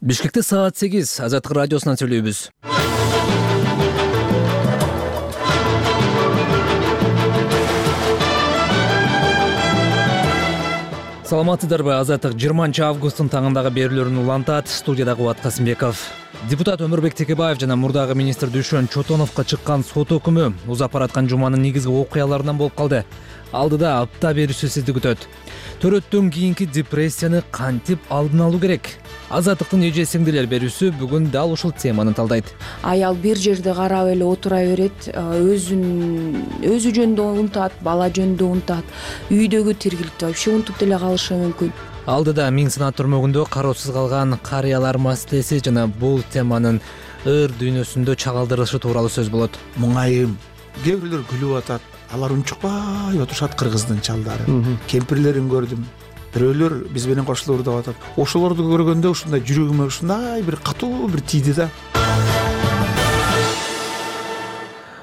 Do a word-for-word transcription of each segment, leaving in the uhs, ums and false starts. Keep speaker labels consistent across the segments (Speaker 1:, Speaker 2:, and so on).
Speaker 1: Бишкекте саат сегиз Азаттык радиосунан сүйлөйбүз. Саламатсыздарбы? Азаттык жыйырманчы августтун таңындагы берүүлөрүн улантат. Студияда Кубат Касымбеков. Депутат Өмүрбек Текебаев жана мурдагы министр Дүйшөн Чотоновго чыккан сот өкүмү узап бараткан жуманын негизги окуяларынан болуп калды. Алдыда апта берүүсү сизди күтөт. Төрөттөн кийинки депрессияны кантип алдын алуу керек? Азаттыктын эже сиңдилер берүүсү бүгүн дал ушул теманы талдайт.
Speaker 2: Аял бир жерде карап эле отура берет, өзүн өзү жөнүндө унутат, бала жөнүндө унутат, үйдөгү тиргиликти вообще унутуп деле калышы мүмкүн.
Speaker 1: Алдыда миң сынат түрмөгүндө кароосуз калган карыялар маселеси жана бул теманын ыр дүйнөсүндө чагылдырылышы тууралуу сөз болот.
Speaker 3: Муңайым, кээ бирлер күлүп атат, алар унчукпай отурушат кыргыздын чалдары. Кемпирлерин көрдүм. Бирөөлөр биз менен кошулур деп атат. Ошолорду көргөндө ушундай жүрөгүмө ушундай бир катуу бир тийди да.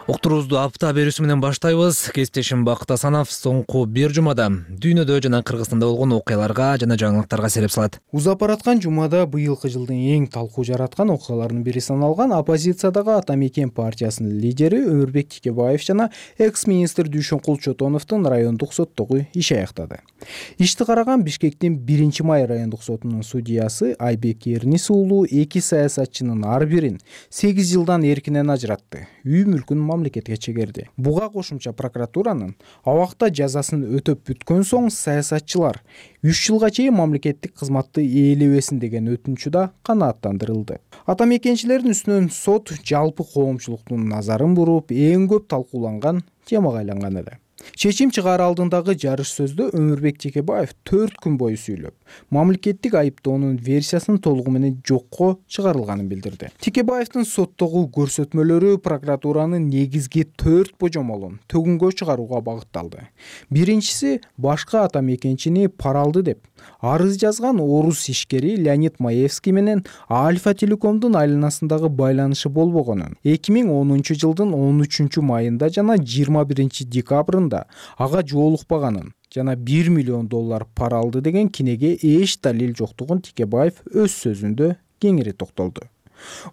Speaker 1: Уктуруубузду апта берүүсү менен баштайбыз. Кесиптешим Бакыт Асанов соңку бир жумада дүйнөдө жана Кыргызстанда болгон окуяларга жана жаңылыктарга сереп салат.
Speaker 4: Узап бараткан жумада быйылкы жылдын эң талкуу жараткан окуяларынын бири саналган оппозициядагы Ата Мекен партиясынын лидери Өмүрбек Текебаев жана экс-министр Дүйшөнкул Чотоновдун райондук соттогу иши аяктады. Ишти караган Бишкектин биринчи май райондук сотунун судьясы Айбек Эрнис уулу эки саясатчынын ар бирин сегиз жылдан эркинен ажыратты. Үй мүлкүн мамлекетке чегерди. Буга кошумча прокуратуранын абакта жазасын өтөп бүткөн соң саясатчылар үч жылга чейин мамлекеттик кызматты ээлебесин деген өтүнүчү да канааттандырылды. Ата мекенчилердин үстүнөн сот жалпы коомчулуктун назарын буруп, эң көп талкууланган темага айланган эле. Чечим чыгаар алдындагы жарыш сөздө Өмүрбек Текебаев төрт күн бою сүйлөп, мамлекеттик айыптоонун версиясынын толугу менен жокко чыгарылганын билдирди. Текебаевдин соттогу көрсөтмөлөрү прокуратуранын негизги төрт божомолун төгүнгө чыгарууга багытталды. Биринчиси башка ата мекенчини пара алды деп арыз жазган орус ишкери Леонид Маевский менен Альфа Телекомдун айланасындагы байланышы болбогонун, эки миң онунчу жылдын он үчүнчү майында жана жыйырма биринчи декабрында ага жоолукпаганын жана бир миллион доллар пара алды деген кинеге эч далил жоктугун Текебаев өз сөзүндө кеңири токтолду.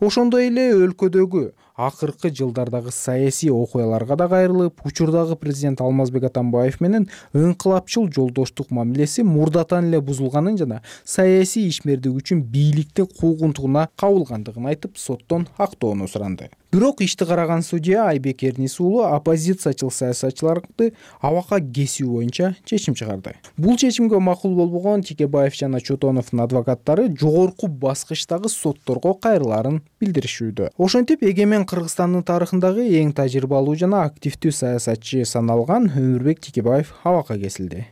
Speaker 4: Ошондой эле өлкөдөгү акыркы жылдардагы саясий окуяларга да кайрылып, учурдагы президент Алмазбек Атамбаев менен ыңкылапчыл жолдоштук мамилеси мурдатан эле бузулганын жана саясий ишмердик үчүн бийликтин куугунтугуна кабылгандыгын айтып, соттон актоону суранды. Бирок ишти караган судья Айбек Эрнис уулу оппозициячыл саясатчыларды абакка кесүү боюнча чечим чыгарды. Бул чечимге макул болбогон Текебаев жана Чотоновдун адвокаттары жогорку баскычтагы сотторго кайрылаарын билдиришүүдө. Ошентип Эгемен Кыргызстандын тарыхындагы эң тажрыйбалуу жана активдүү саясатчы саналган Өмүрбек Текебаев абакка кесилди.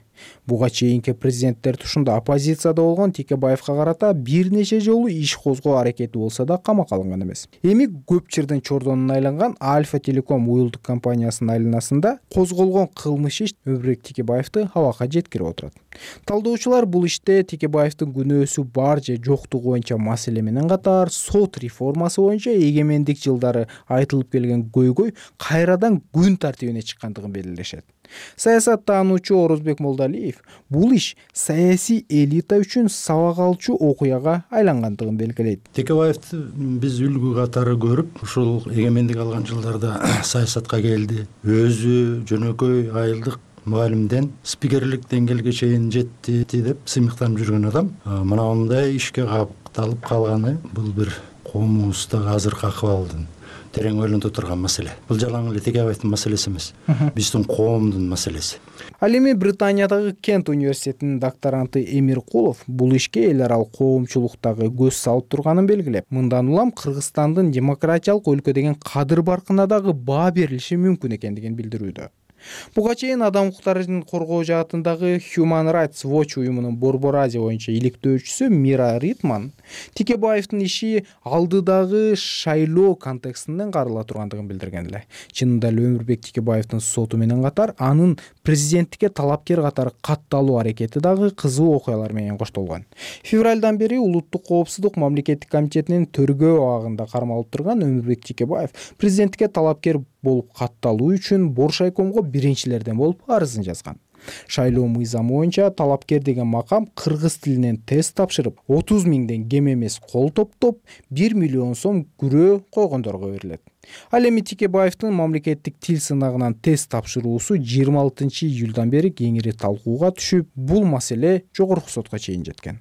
Speaker 4: Буга чейинки президенттер тушунда оппозицияда болгон Текебаевга карата бир нече жолу иш козгоо аракети болсо да камакка алынган эмес. Эми көп жырдын чордонуна айланган Альфа Телеком уюлдук компаниясынын айланасында козголгон кылмыш иш Өмүрбек Текебаевди абакка жеткирип отурат. Талдоочулар бул иште Текебаевдин күнөөсү бар же жоктугу боюнча маселе менен катар сот реформасы боюнча эгемендик жылдары айтылып келген көйгөй кайрадан күн тартибине чыккандыгын белгилешет. Саясаттануучу Орозбек Молдалиев бул иш саясий элита үчүн сабак алчу окуяга айлангандыгын белгилейт.
Speaker 5: Текебаевди биз үлгү катары көрүп, ушул эгемендик алган жылдарда саясатка келди. Өзү жөнөкөй айылдык мугалимден спикерлик деңгээлге чейин жетти деп сыймыктанып жүргөн адам. Мына мындай ишке капталып калганы бул бир коомубуздагы азыркы акыбалдын терең ойлонто турган маселе. Бул жалаң эле Текебаевдин маселеси эмес. Биздин коомдун маселеси.
Speaker 4: Ал эми Британиядагы Кент университетинин докторанты Эмир Кулов бул ишке эл аралык коомчулуктагы көз салып турганын белгилеп, мындан улам Кыргызстандын демократиялык өлкө деген кадыр баркына дагы баа берилиши мүмкүн экендигин билдирүүдө. Буга чейин адам укуктарын коргоо жаатындагы Human Rights Watch уюмунун Борбор Азия боюнча иликтөөчүсү Мира Ритман Текебаевдин иши алдыдагы шайлоо контекстинен карала тургандыгын билдирген эле. Чынында эле Өмүрбек Текебаевдин соту менен катар анын президенттикке талапкер катары катталуу аракети дагы кызуу окуялар менен коштолгон. Февралдан бери Улуттук коопсуздук мамлекеттик комитетинин төргөө абагында кармалып турган Өмүрбек Текебаев президенттикке талапкер болуп катталуу үчүн Боршайкомго биринчилерден болуп арызын жазган. Шайлоо мыйзамы боюнча талапкер деген макам кыргыз тилинен тест тапшырып, отуз миңден кем эмес кол топтоп, бир миллион сом күрөө койгондорго берилет. Ал эми Текебаевдин мамлекеттик тил сынагынан тест тапшыруусу жыйырма алтынчы июлдан бери кеңири талкууга түшүп, бул маселе жогорку сотко чейин жеткен.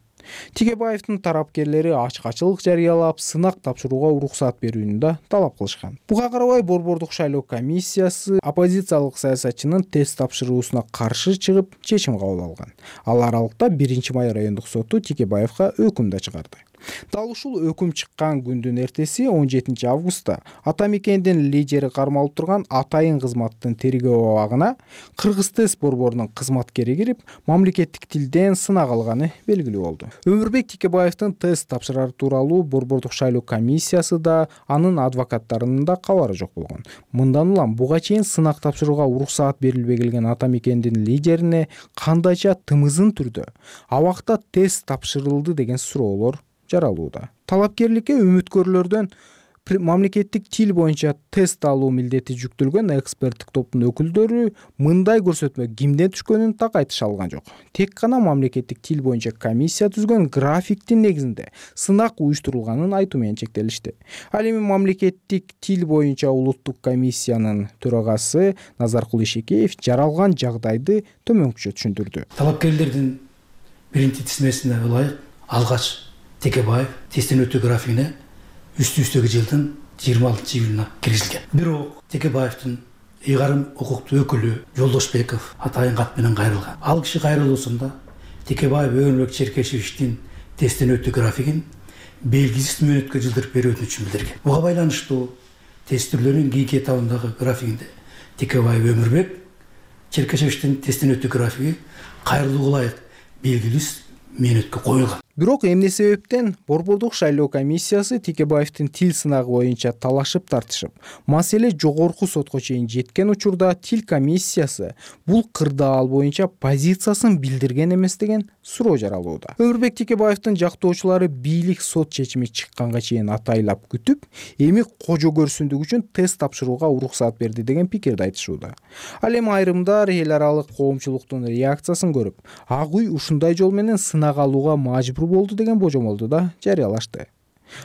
Speaker 4: Текебаевдин тарапкерлери ачкачылык жарыялап, сынак тапшырууга уруксат берүүнү да талап кылышкан. Буга карабай Борбордук шайлоо комиссиясы оппозициялык саясатчынын тест тапшыруусуна каршы чыгып, чечим кабыл алган. Ал аралыкта биринчи май райондук соту Текебаевга өкүм да чыгарды. Дал ушул өкүм чыккан күндүн эртеси он жетинчи августта ата мекендин лидери кармалып турган Атайын кызматтын тергөө абагына Кыргыз тест борборунун кызматкери кирип, мамлекеттик тилден сынак алганы белгилүү болду. Өмүрбек Текебаевдин тест тапшырары тууралуу Борбордук шайлоо комиссиясы да, анын адвокаттарынын да кабары жок болгон. Мындан улам буга чейин сынак тапшырууга уруксаат берилбей келген ата мекендин лидерине кандайча тымызын түрдө абакта тест тапшырылды деген суроолор жаралууда. Талапкерликке үмүткөрлөрдөн мамлекеттик тил боюнча тест алуу милдети жүктөлгөн эксперттик топтун өкүлдөрү мындай көрсөтмө кимден түшкөнүн так айтыша алган жок. Тек гана мамлекеттик тил боюнча комиссия түзгөн графиктин негизинде сынак уюштурулганын айтуу менен чектелишти. Ал эми мамлекеттик тил боюнча улуттук комиссиянын төрагасы Назаркул Ишекеев жаралган жагдайды төмөнкүчө түшүндүрдү.
Speaker 6: Талапкерлердин биринчи тизмесине ылайык алгач Текебаев тесттен өтүү графигине үстү-үстөгү жылдын жыйырма алтынчы июлуна киргизилген. Бирок Текебаевдин ыйгарым укуктуу өкүлү Жолдошбеков Атайын кат менен кайрылган. Ал киши кайрылуусунда Текебаев Өмүрбек Черкешевичтин тесттен өтүү графигин белгисиз мөөнөткө жылдырып берүү үчүн билдирген. Буга байланыштуу тест түрлөрүнүн кийинки этабындагы графигинде Текебаев Өмүрбек Черкешевичтин тесттен өтүү графиги кайрылууга ылайык белгисиз мөөнөткө коюлган.
Speaker 4: Бирок эмне себептен Борбордук шайлоо комиссиясы Текебаевдин тил сынагы боюнча талашып тартышып, маселе жогорку сотко чейин жеткен учурда тил комиссиясы бул кырдаал боюнча позициясын билдирген эмес деген суроо жаралууда. Өмүрбек Текебаевдин жактоочулары бийлик сот чечими чыкканга чейин атайлап күтүп, эми кожо көрсүндүк үчүн тест тапшырууга уруксаат берди деген пикирди айтышууда. Ал эми айрымдар эл аралык коомчулуктун реакциясын көрүп, ак үй ушундай жол менен сынак алууга мажбур болду деген божомолду да жарыялашты.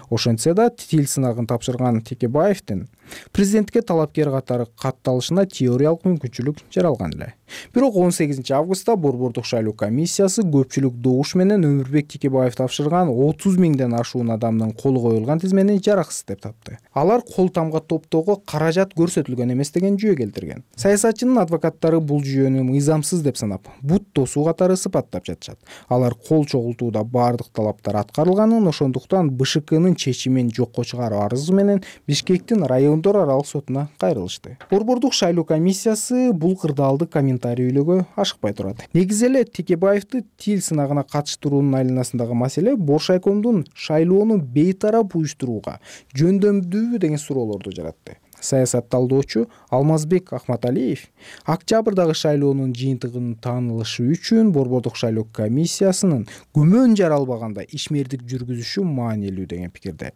Speaker 4: Ошентсе да тил сынагын тапшырган Текебаевдин президентке талапкер катары катталышына теориялык мүмкүнчүлүк жаралган эле. Бирок он сегизинчи августта Борбордук шайлоо комиссиясы көпчүлүк добуш менен Өмүрбек Текебаев тапшырган отуз миңден ашуун адамдын колу коюлган тизмени жараксыз деп тапты. Алар кол тамга топтоого каражат көрсөтүлгөн эмес деген жүйө келтирген. Саясатчынын адвокаттары бул жүйөнү мыйзамсыз деп санап, бут тосуу катары сыпаттап жатышат. Алар кол чогултууда бардык талаптар аткарылганын, ошондуктан БШКнын чечимин жокко чыгаруу арызы менен Бишкектин райондор аралык сотуна кайрылышты. Борбордук шайлоо комиссиясы бул кырдаалды комментарийлөөгө ашыкпай турат. Негизи эле Текебаевди тил сынагына катыштыруунун айланасындагы маселе Боршайкомдун шайлоону бейтарап уюштурууга жөндөмдүүбү деген суроолорду жаратты. Саясат талдоочу Алмазбек Ахматалиев октябрдагы шайлоонун жыйынтыгынын таанылышы үчүн Борбордук шайлоо комиссиясынын күмөн жаралбаганда ишмердик жүргүзүшү маанилүү деген пикирде.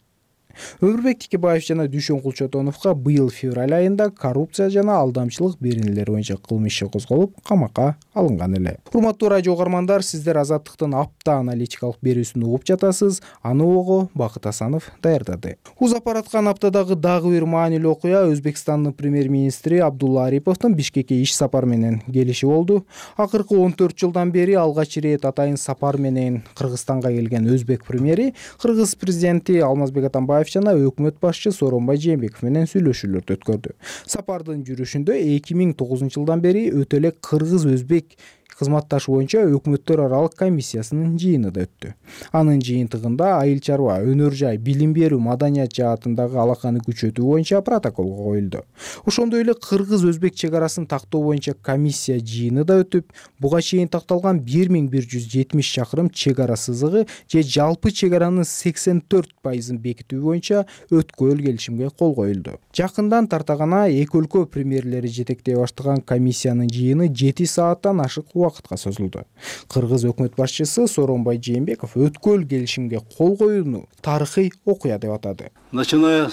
Speaker 4: Өмүрбек Текебаев жана Дүйшөн Кулчотоновго быйыл февраль айында коррупция жана алдамчылык беренелери боюнча кылмыш иши козголуп, камакка алынган эле. Урматтуу радио угармандар, сиздер Азаттыктын апта аналитикалык берүүсүн угуп жатасыз. Аны ого Бакыт Асанов даярдады. Узап бараткан аптадагы дагы бир маанилүү окуя Өзбекстандын премьер-министри Абдулла Ариповдун Бишкекке иш сапар менен келиши болду. Акыркы он төрт жылдан бери алгач ирет атайын сапар менен Кыргызстанга келген өзбек премьери Кыргыз президенти Алмазбек Атамбаев жана өкмөт башчы Сооронбай Жээнбеков менен сүйлөшүүлөрдү өткөрдү. Сапардын жүрүшүндө эки миң тогузунчу жылдан бери өтө эле кыргыз-өзбек кызматташ боюнча өкмөттөр аралык комиссиясынын жыйыны да өттү. Анын жыйынтыгында айыл чарба, өнөр жай, билим берүү, маданият жаатындагы алаканы күчөтүү боюнча протоколго коюлду. Ошондой эле кыргыз-өзбек чек арасын тактоо боюнча комиссия жыйыны да өтүп, буга чейин такталган бир миң бир жүз жетимиш чакырым чек ара сызыгы же жалпы чек аранын сексен төрт пайызын бекитүү боюнча өткөл келишимге кол коюлду. Жакындан тарта гана эки өлкө премьерлери жетектей баштаган комиссиянын жыйыны жети сааттан ашык вакытка созулду. Кыргыз өкмөт башчысы Сооронбай Жээнбеков өткөл келишимге кол коюуну тарыхый окуя деп атады.
Speaker 7: Начиная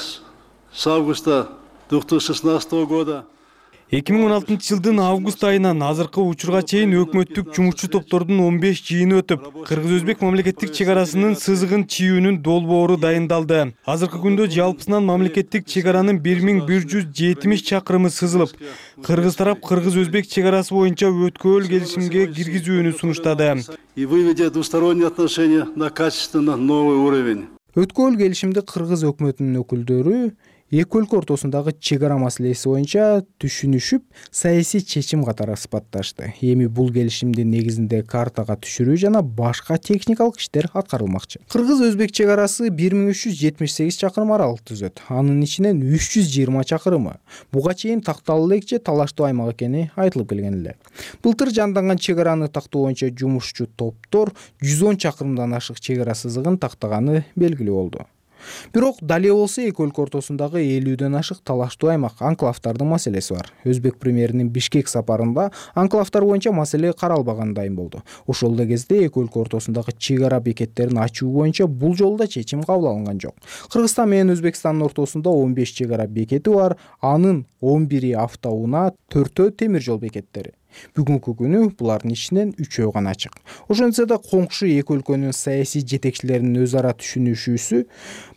Speaker 7: с августа две тысячи шестнадцатого года эки миң он алтынчы жылдын август айынан азыркы учурга чейин өкмөттүк жумушчу топтордун он беш жыйыны өтүп, кыргыз-өзбек мамлекеттик чек арасынын сызыгын чийүүнүн долбоору дайындалды. Азыркы күндө жалпысынан мамлекеттик чек аранын бир миң бир жүз жетимиш чакырымы сызылып, кыргыз тарап кыргыз-өзбек чек арасы боюнча өткөөл келишимге киргизүүнү сунуштады.
Speaker 8: И выведя двусторонние отношения на качественно новый уровень.
Speaker 4: Өткөөл келишимди кыргыз өкмөтүнүн өкүлдөрү эки өлкө ортосундагы чек ара маселеси боюнча түшүнүшүп, саясий чечим катары сыпатташты. Эми бул келишимдин негизинде картага түшүрүү жана башка техникалык иштер аткарылмакчы. Кыргыз-өзбек чек арасы бир миң үч жүз жетимиш сегиз чакырым аралык түзөт. Анын ичинен үч жүз жыйырма чакырымы буга чейин такталуу элек же талаштуу аймак экени айтылып келген эле. Былтыр жанданган чек араны тактоо боюнча жумушчу топтор жүз он чакырымдан ашык чек ара сызыгын тактаганы белгилүү болду. Бирок дале болсо эки өлкө ортосундагы элүүдөн ашык талаштуу аймак анклавдардын маселеси бар. Өзбек премьеринин Бишкек сапарында анклавдар боюнча маселе каралбаганы дайым болду. Ошол эле кезде эки өлкө ортосундагы чек ара бекеттерин ачуу боюнча бул жолу да чечим кабыл алынган жок. Кыргызстан менен Өзбекстандын ортосунда он беш чек ара бекети бар, анын он бири автоунаа, төртөө темир жол бекеттери. Бүгүнкү күнү булардын ичинен үчөө гана ачык. Ошентсе да коңшу эки өлкөнүн саясий жетекчилеринин өз ара түшүнүшүүсү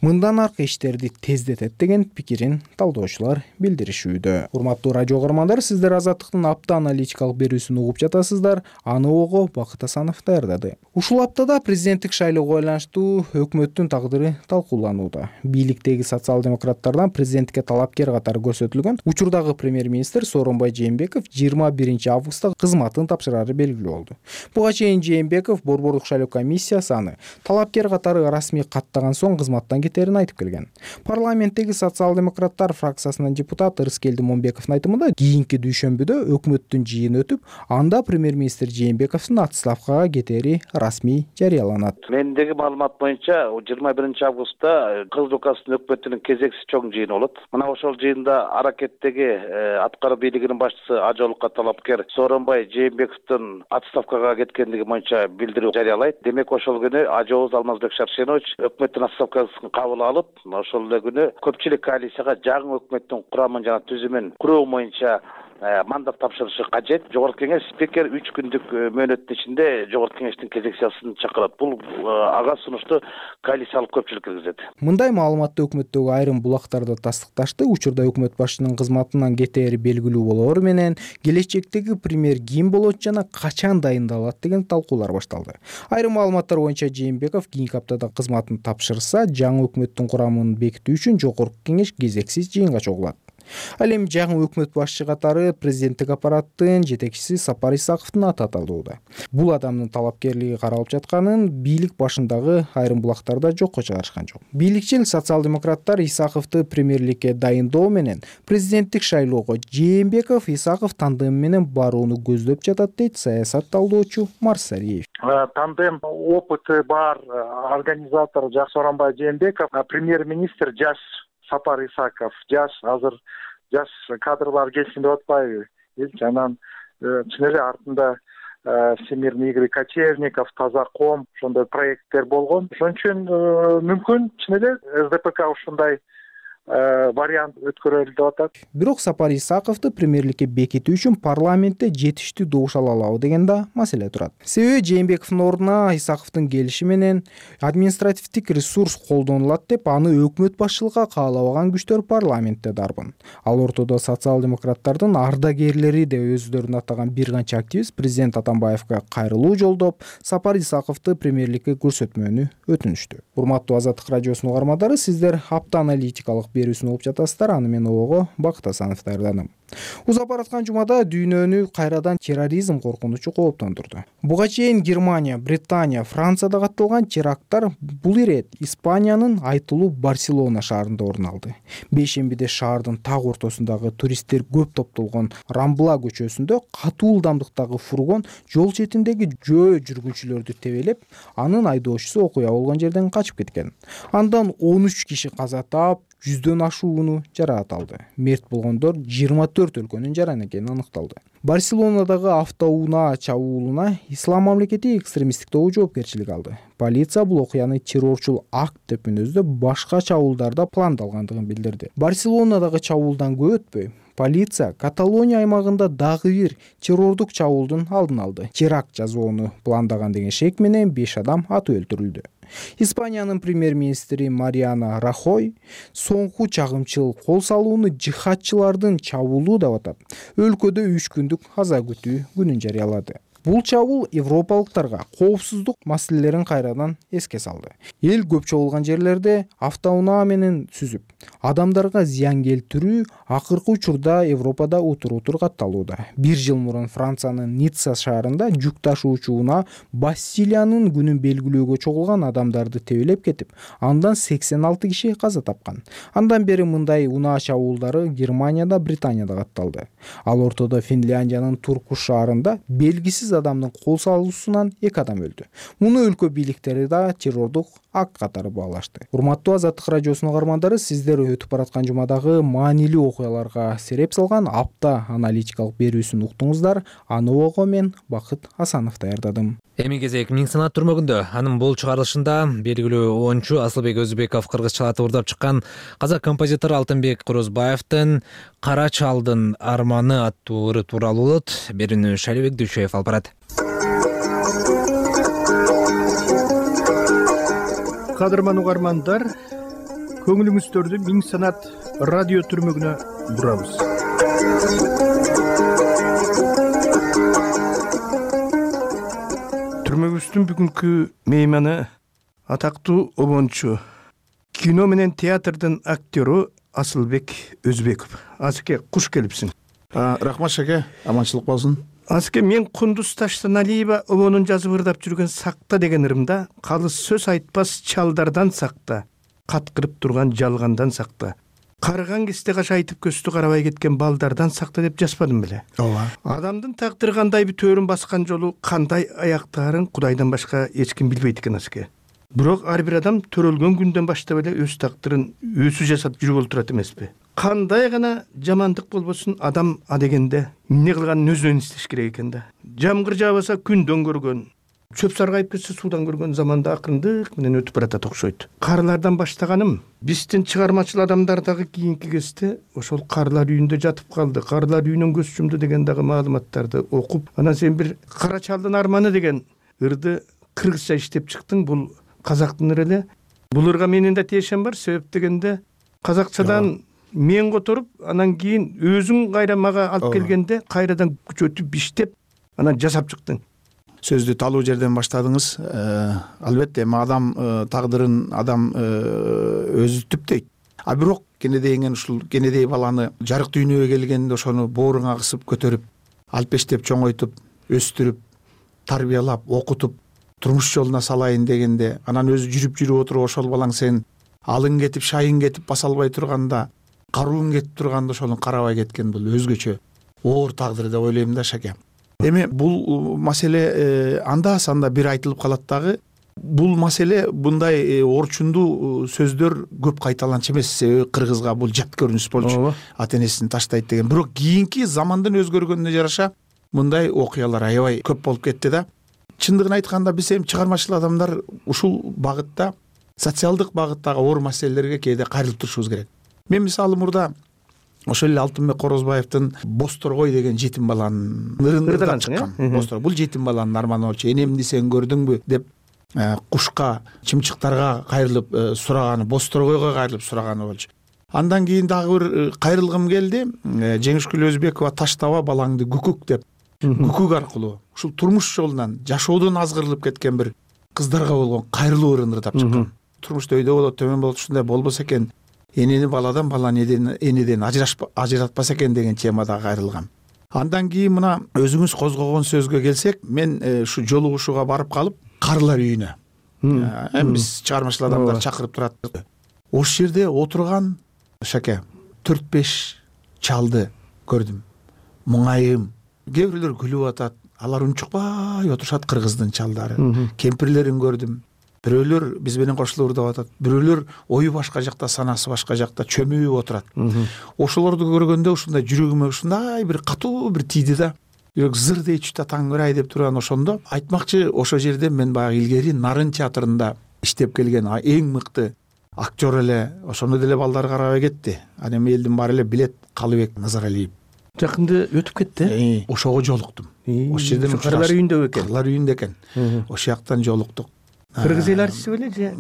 Speaker 4: мындан аркы иштерди тездетет деген пикирин талдоочулар билдиришүүдө. Урматтуу радио көрөрмандар, сиздер Азаттыктын апта аналитикалык берүүсүн угуп жатасыздар. Аны ого Бакыт Асанов даярдады. Ушул аптада президенттик шайлоого байланыштуу өкмөттүн тагдыры талкууланууда. Бийликтеги социал-демократтардан президенттикке талапкер катары көрсөтүлгөн учурдагы премьер-министр Сооронбай Жээнбеков жыйырма биринчи августта кызматын тапшырары белгилүү болду. Буга чейин Жээнбеков борбордук шайлоо комиссиясы аны талапкер катары расмий каттаган соң кызматтан кетерин айтып келген. Парламенттеги социал-демократтар фракциясынын депутаты Рыскелди Момбековдун айтымында кийинки дүйшөмбүдө өкмөттүн жыйыны өтүп, анда премьер-министр Жээнбековдун отставкага кетери расмий жарыяланат.
Speaker 9: Мендеги маалымат боюнча жыйырма биринчи августта Кыргыз Республикасынын өкмөтүнүн кезексиз чоң жыйыны болот. Мына ошол жыйында аракеттеги аткаруу бийлигинин башчысы Ажолукка талапкер Сооронбай Жээнбековдун отставкага кеткендиги боюнча билдирүү жарыялайт. Демек ошол күнү Ажооз Алмазбек Шаршенович өкмөттүн отставкасын кабыл алып, ошол эле күнү көпчүлүк коалицияга жаңы өкмөттүн курамын жана түзүмүн куруу боюнча мандат тапшырышы кажет. Жогорку кеңеш спикер үч күндүк мөөнөттүн ичинде жогорку кеңештин кезекчисин чакырат. Бул ага сунушту коалициялык көпчүлүк киргизет.
Speaker 4: Мындай маалыматты өкмөттөгү айрым булактарда тастыкташты. Учурда өкмөт башчынын кызматынан кетери белгилүү болоору менен келечектеги премьер ким болот жана качан дайындалат деген талкуулар башталды. Айрым маалыматтар боюнча Жээнбеков кийинки аптада кызматын тапшырса, жаңы өкмөттүн курамын бекитүү үчүн жогорку кеңеш кезексиз жыйынга чогулат. Ал эми жаңы өкмөт башчы катары президенттик аппараттын жетекчиси Сапар Исаковдун аты аталууда. Бул адамдын талапкерлиги каралып жатканын бийлик башындагы айрым булактарда жокко чыгарышкан жок. Бийликчил социал-демократтар Исаковду премьерликке дайындоо менен президенттик шайлоого Жээнбеков Исаков тандем менен барууну көздөп жатат дейт саясат талдоочу Марсалиев.
Speaker 10: Тандем опыты бар организатор Сооронбай Жээнбеков, премьер-министр жаш Сапар Исаков, жаш азыр жаш кадрлар келсин деп атпайбы? Анан чын эле артында Всемирный игры Кочевников, Тазаком ошондой проекттер болгон. Ошон үчүн мүмкүн чын эле СДПК ушундай вариант өткөрөлү деп атат.
Speaker 4: Бирок Сапар Исаковду премьерликке бекитүү үчүн парламентте жетиштүү добуш ала алабы деген да маселе турат. Себеби Жээнбековдун ордуна Исаковдун келиши менен административдик ресурс колдонулат деп аны өкмөт башчылыгга каалабаган күчтөр парламентте дарбын. Ал ортодо социал-демократтардын ардагерлери деп өздөрүн атаган бир канча активист президент Атамбаевга кайрылуу жолдоп, Сапар Исаковду премьерликке көрсөтмөөнү өтүнүштү. Урматтуу Азаттык радиосунун угармандары, сиздер апта аналитикалык берүүсүн угуп жатасыздар. Аны мен ого Бакыт Асанов даярдадым. Узап бараткан жумада дүйнөнү кайрадан терроризм коркунучу кооптондурду. Буга чейин Германия, Британия, Францияда катталган теракттар бул ирет Испаниянын айтылуу Барселона шаарында орун алды. Бейшембиде шаардын так ортосундагы туристтер көп топтолгон Рамбла көчөсүндө катуу ылдамдыктагы фургон жол четиндеги жөө жүргүнчүлөрдү тебелеп, анын айдоочусу окуя болгон жерден качып кеткен. Андан он үч киши каза таап, жүздөн ашууну жараат алды. Мерт болгондор жыйырма төрт өлкөнүн жаран экени аныкталды. Барселонадагы автоунаа чабуулуна Ислам мамлекети экстремисттик тобу жоопкерчилик алды. Полиция бул окуяны террорчул акт деп мүнөздөп, башка чабуулдарда пландалгандыгын билдирди. Барселонадагы чабуулдан көп өтпөй полиция Каталония аймагында дагы бир террордук чабуулдун алдын алды. Теракт жасоону пландаган деген шек менен беш адам атып өлтүрүлдү. Испаниянын премьер-министри Мариана Рахой соңку чагымчыл кол салууну жихадчылардын чабуулу деп атап, өлкөдө үч күндүк аза күтүү күнүн жарыялады. Бул чабуул европалыктарга коопсуздук маселелерин кайрадан эске салды. Эл көп чогулган жерлерде автоунаа менен сүзүп, адамдарга зыян келтирүү акыркы учурда Европада утур-утур катталууда. Бир жыл мурун Франциянын Ницца шаарында жүк ташуучу унаа Бастилиянын күнүн белгилөөгө чогулган адамдарды тебелеп кетип, андан сексен алты киши каза тапкан. Андан бери мындай унаа чабуулдары Германияда, Британияда катталды. Ал ортодо Финляндиянын Туркуш шаарында белгисиз адамдын кол салуусунан эки адам өлдү. Муну өлкө бийликтери да террордук акт катары баалашты. Урматтуу Азаттык радиосунун каармандары, сиздер өтүп бараткан жумадагы маанилүү окуяларга сереп салган апта аналитикалык берүүсүн уктуңуздар. Аны ого мен Бакыт Асанов даярдадым.
Speaker 1: Эми кезек Миң Санат түрмөгүндө. Анын бул чыгарылышында белгилүү оюнчу Асылбек Өзбеков кыргызчаларды уурдап чыккан казак композитор Алтынбек Корозбаевдин Кара чалдын арманы аттуу ыры тууралуу болот. Берүүнү Шалибек Дүйшөев алып барат.
Speaker 11: Кадырман угармандар, көңүлүңүздөрдү Миң Санат радио түрмөгүнө бурабыз. Түрмөгүбүздүн бүгүнкү мейманы атактуу обончу, кино менен театрдын актёру Асылбек Өзбеков. Асыке, куш келипсиң.
Speaker 3: Рахмат шаке, аманчылык болсун.
Speaker 11: Асыке, мен Кундуз Таштаналиева обонун жазып ырдап жүргөн Сакта деген ырымда калыс сөз айтпас чалдардан сакта, каткырып турган жалгандан сакта, карыган кезде каша айтып көстү карабай кеткен балдардан сакта деп жазбадым беле.
Speaker 3: Ооба.
Speaker 11: Адамдын тагдыры кандай бир төрүн баскан жолу кандай аяктаарын Кудайдан башка эч ким билбейт экен Асыке. Бирок ар бир адам төрөлгөн күндөн баштап эле өз тагдырын өзү жасап жүрүп олтурат эмеспи? Кандай гана жамандык болбосун, адам а дегенде эмне кылганын өзүнөн издеш керек экен да. Жамгыр жаабаса күндөн көргөн, чөп саргайып кетсе суудан көргөн заманда акырындык менен өтүп баратат окшойт. Карылардан баштаганым, биздин чыгармачыл адамдар дагы кийинки кезде ошол карылар үйүндө жатып калды, карылар үйүнөн көз жумду деген дагы маалыматтарды окуп, анан сен бир Кара чалдын арманы деген ырды кыргызча иштеп чыктың. Бул казактын ыры эле. Бул ырга менин да тиешем бар, себеп дегенде казакчадан мен которуп, анан кийин өзүң кайра мага алып келгенде кайрадан күчөтүп иштеп, анан жасап чыктың.
Speaker 3: Сөздү талуу жерден баштадыңыз. Албетте, эми адам тагдырын адам өзү түптөйт. А бирок кенедейген ушул кенедей баланы жарык дүйнөгө келгенде ошону бооруңа кысып көтөрүп, алпештеп чоңойтуп, өстүрүп, тарбиялап, окутуп, турмуш жолуна салайын дегенде, анан өзү жүрүп жүрүп отуруп ошол балаң сен алың кетип, шайың кетип баса албай турганда, карууң кетип турганда ошону карабай кеткен, бул өзгөчө оор тагдыр деп ойлойм да шаке. Эми бул маселе анда санда бир айтылып калат дагы. Бул маселе мындай орчундуу сөздөр көп кайталанчу эмес, себеби кыргызга бул жат көрүнүш болчу. Ата энесин таштайт деген. Бирок кийинки замандын өзгөргөнүнө жараша мындай окуялар аябай көп болуп кетти да. Чындыгын айтканда биз эми чыгармачыл адамдар ушул багытта, социалдык багыттагы оор маселелерге кээде кайрылып турушубуз керек. Мен мисалы мурда ошол эле Алтынбек Корозбаевдин Босторгой деген жетим баланын ырынан чыккан. Босторгой бул жетим баланын арманы болчу. Энемди сен көрдүңбү деп кушка, чымчыктарга кайрылып сураганы, Босторгойго кайрылып сураганы болчу. Андан кийин дагы бир кайрылгым келди. Жеңишкүл Өзбекова таштаба балаңды күкүк деп, күкүк аркылуу ушул турмуш жолунан жашоодон азгырылып кеткен бир кыздарга болгон кайрылуу ырын ырдап чыккан. Турмушта өйдө болот, төмөн болот, ушундай болбосо экен, энени баладан, баланы энеден ажыратпаса экен деген темада кайрылгам. Андан кийин мына өзүңүз козгогон сөзгө келсек, мен ушу жолугушууга барып калып, карылар үйүнө, эми биз чыгармачыл адамдар чакырып турат. Ошол жерде отурган шаке төрт беш чалды көрдүм. Муңайым, кээ бирлер күлүп атат, алар унчукпай отурушат, кыргыздын чалдары. Кемпирлерин көрдүм. Бирөөлөр биз менен кошулуп ырдап атат. Бирөөлөр ою башка жакта, санасы башка жакта чөмүп отурат. Ошолорду көргөндө ушундай жүрөгүмө ушундай бир катуу бир тийди да. Жүрөк зыр дейчү да, таңырай деп турган ошондо айтмакчы, ошол жерде мен баягы илгери Нарын театрында иштеп келген эң мыкты актер эле, ошону деле балдар карабай кетти. Ал эми элдин баары эле билет Калыбек Назаралиев.
Speaker 11: Жакында өтүп кетти.
Speaker 3: Ошого жолуктум.
Speaker 11: Ошол жерден Кырлар үйүндө экен.
Speaker 3: Кырлар үйүндө экен. Ошол жактан жолуктук.
Speaker 11: Кыргыз эл артисти беле же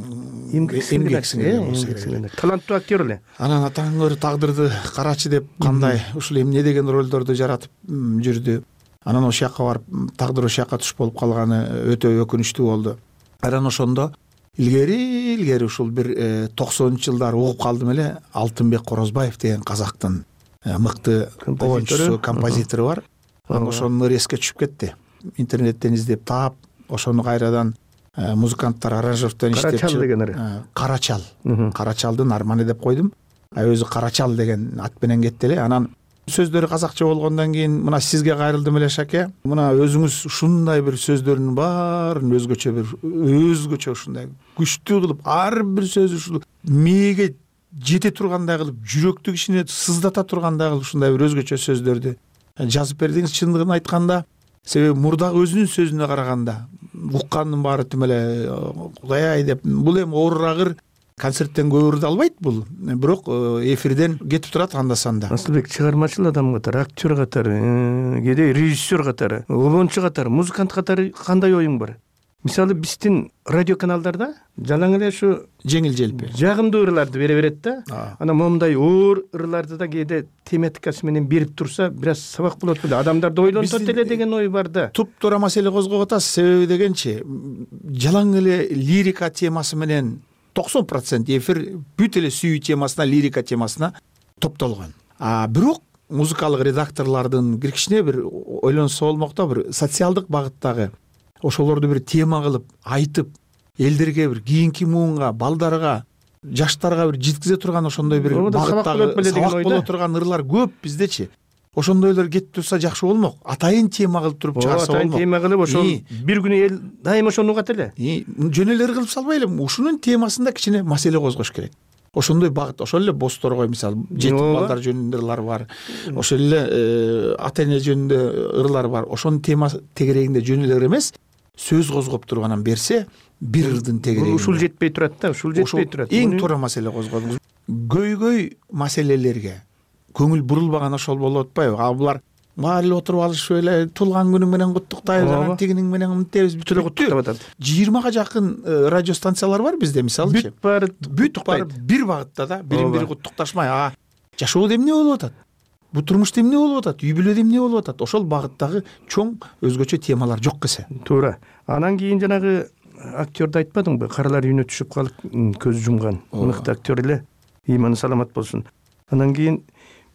Speaker 11: эмгек сиңер? Таланттуу актер эле.
Speaker 3: Анан атаңыр тагдырды карачы деп кандай ушул эмне деген ролдорду жаратып жүрдү. Анан ошол жакка барып тагдыр ошол жакка туш болуп калганы өтө өкүнүчтүү болду. Анан ошондо илгери илгери ушул бир токсонунчу жылдары угуп калдым эле, Алтынбек Корозбаев деген казактын мыкты оюнчусу, композитору бар. Анан ошонун ыры эске түшүп кетти. Интернеттен издеп таап, ошону кайрадан музыканттар аранжировкадан иштеп
Speaker 11: Карачал деген ыры.
Speaker 3: Карачал. Карачалдын арманы деп койдум. А өзү Карачал деген ат менен кетти эле. Анан сөздөрү казакча болгондон кийин мына сизге кайрылдым эле Шаке. Мына өзүңүз ушундай бир сөздөрдүн баарын өзгөчө бир өзгөчө ушундай күчтүү кылып, ар бир сөзү ушул мээге жете тургандай кылып, жүрөктү кишине сыздата тургандай кылып ушундай бир өзгөчө сөздөрдү жазып бердиңиз. Чындыгын айтканда, себеби мурдагы өзүнүн сөзүнө караганда уккандын баары тим эле Кудай ай деп, бул эми оорурагыр концерттен көп ырды албайт бул, бирок эфирден кетип турат анда санда.
Speaker 11: Асылбек чыгармачыл адам катары, актер катары, кээде режиссер катары, обончу катары, музыкант катары кандай оюң бар? Мисалы биздин радио каналдарда жалаң эле ушу
Speaker 3: жеңил желпи
Speaker 11: жагымдуу ырларды бере берет да. Анан момундай оор ырларды да кээде тематикасы менен берип турса, бир аз сабак болот беле, адамдарды ойлонтот эле деген ой бар да.
Speaker 3: Туп-туура маселе козгоп атасыз. Себеби дегенчи, жалаң эле лирика темасы менен токсон процент эфир бүт эле сүйүү темасына, лирика темасына топтолгон. А бирок музыкалык редакторлордун бир кичине бир ойлонсо болмок да, бир социалдык багыттагы ошолорду бир тема кылып айтып, элдерге бир кийинки муунга, балдарга, жаштарга бир жеткизе турган ошондой бир багыттагы сабак боло турган ырлар көп биздечи. Ошондойлор кетип турса жакшы болмок. Атайын тема кылып туруп чыгарса болмок.
Speaker 11: Атайын тема кылып, ошол бир күнү эл дайыма ошону угат эле.
Speaker 3: Жөн эле кылып салбай эле, ушунун темасында кичине маселе козгош керек. Ошондой багыт, ошол эле босторго мисалы жетим балдар жөнүндө ырлар бар. Ошол эле ата эне жөнүндө ырлар бар. Ошонун тема тегерегинде жөн эле эмес, сөз козгоп турганан берсе, бир ырдын тегерегинде.
Speaker 11: Ушул жетпей турат да, ушул жетпей турат.
Speaker 3: Эң туура маселе козгодуңуз. Көйгөй маселелерге көңүл бурулбаган ошол болуп атпайбы? А булар баары эле отуруп алышып эле туулган күнүң менен куттуктайбыз, анан тигиниң менен мынтебиз, бүт эле куттуктап атат. жыйырмага жакын радио станциялар бар бизде, мисалычы.
Speaker 11: Бүт баары
Speaker 3: бүт баары бир багытта да, бирин бири куттукташмай, а жашоодо эмне болуп атат? Бу турмушта эмне болуп атат? Үй бүлөдө эмне болуп атат? Ошол багыттагы чоң өзгөчө темалар жок эсе.
Speaker 11: Туура. Анан кийин жанагы актерди айтпадыңбы? Каралар үйүнө түшүп калып көз жумган мыкты актер эле, ыйманы саламат болсун. Анан кийин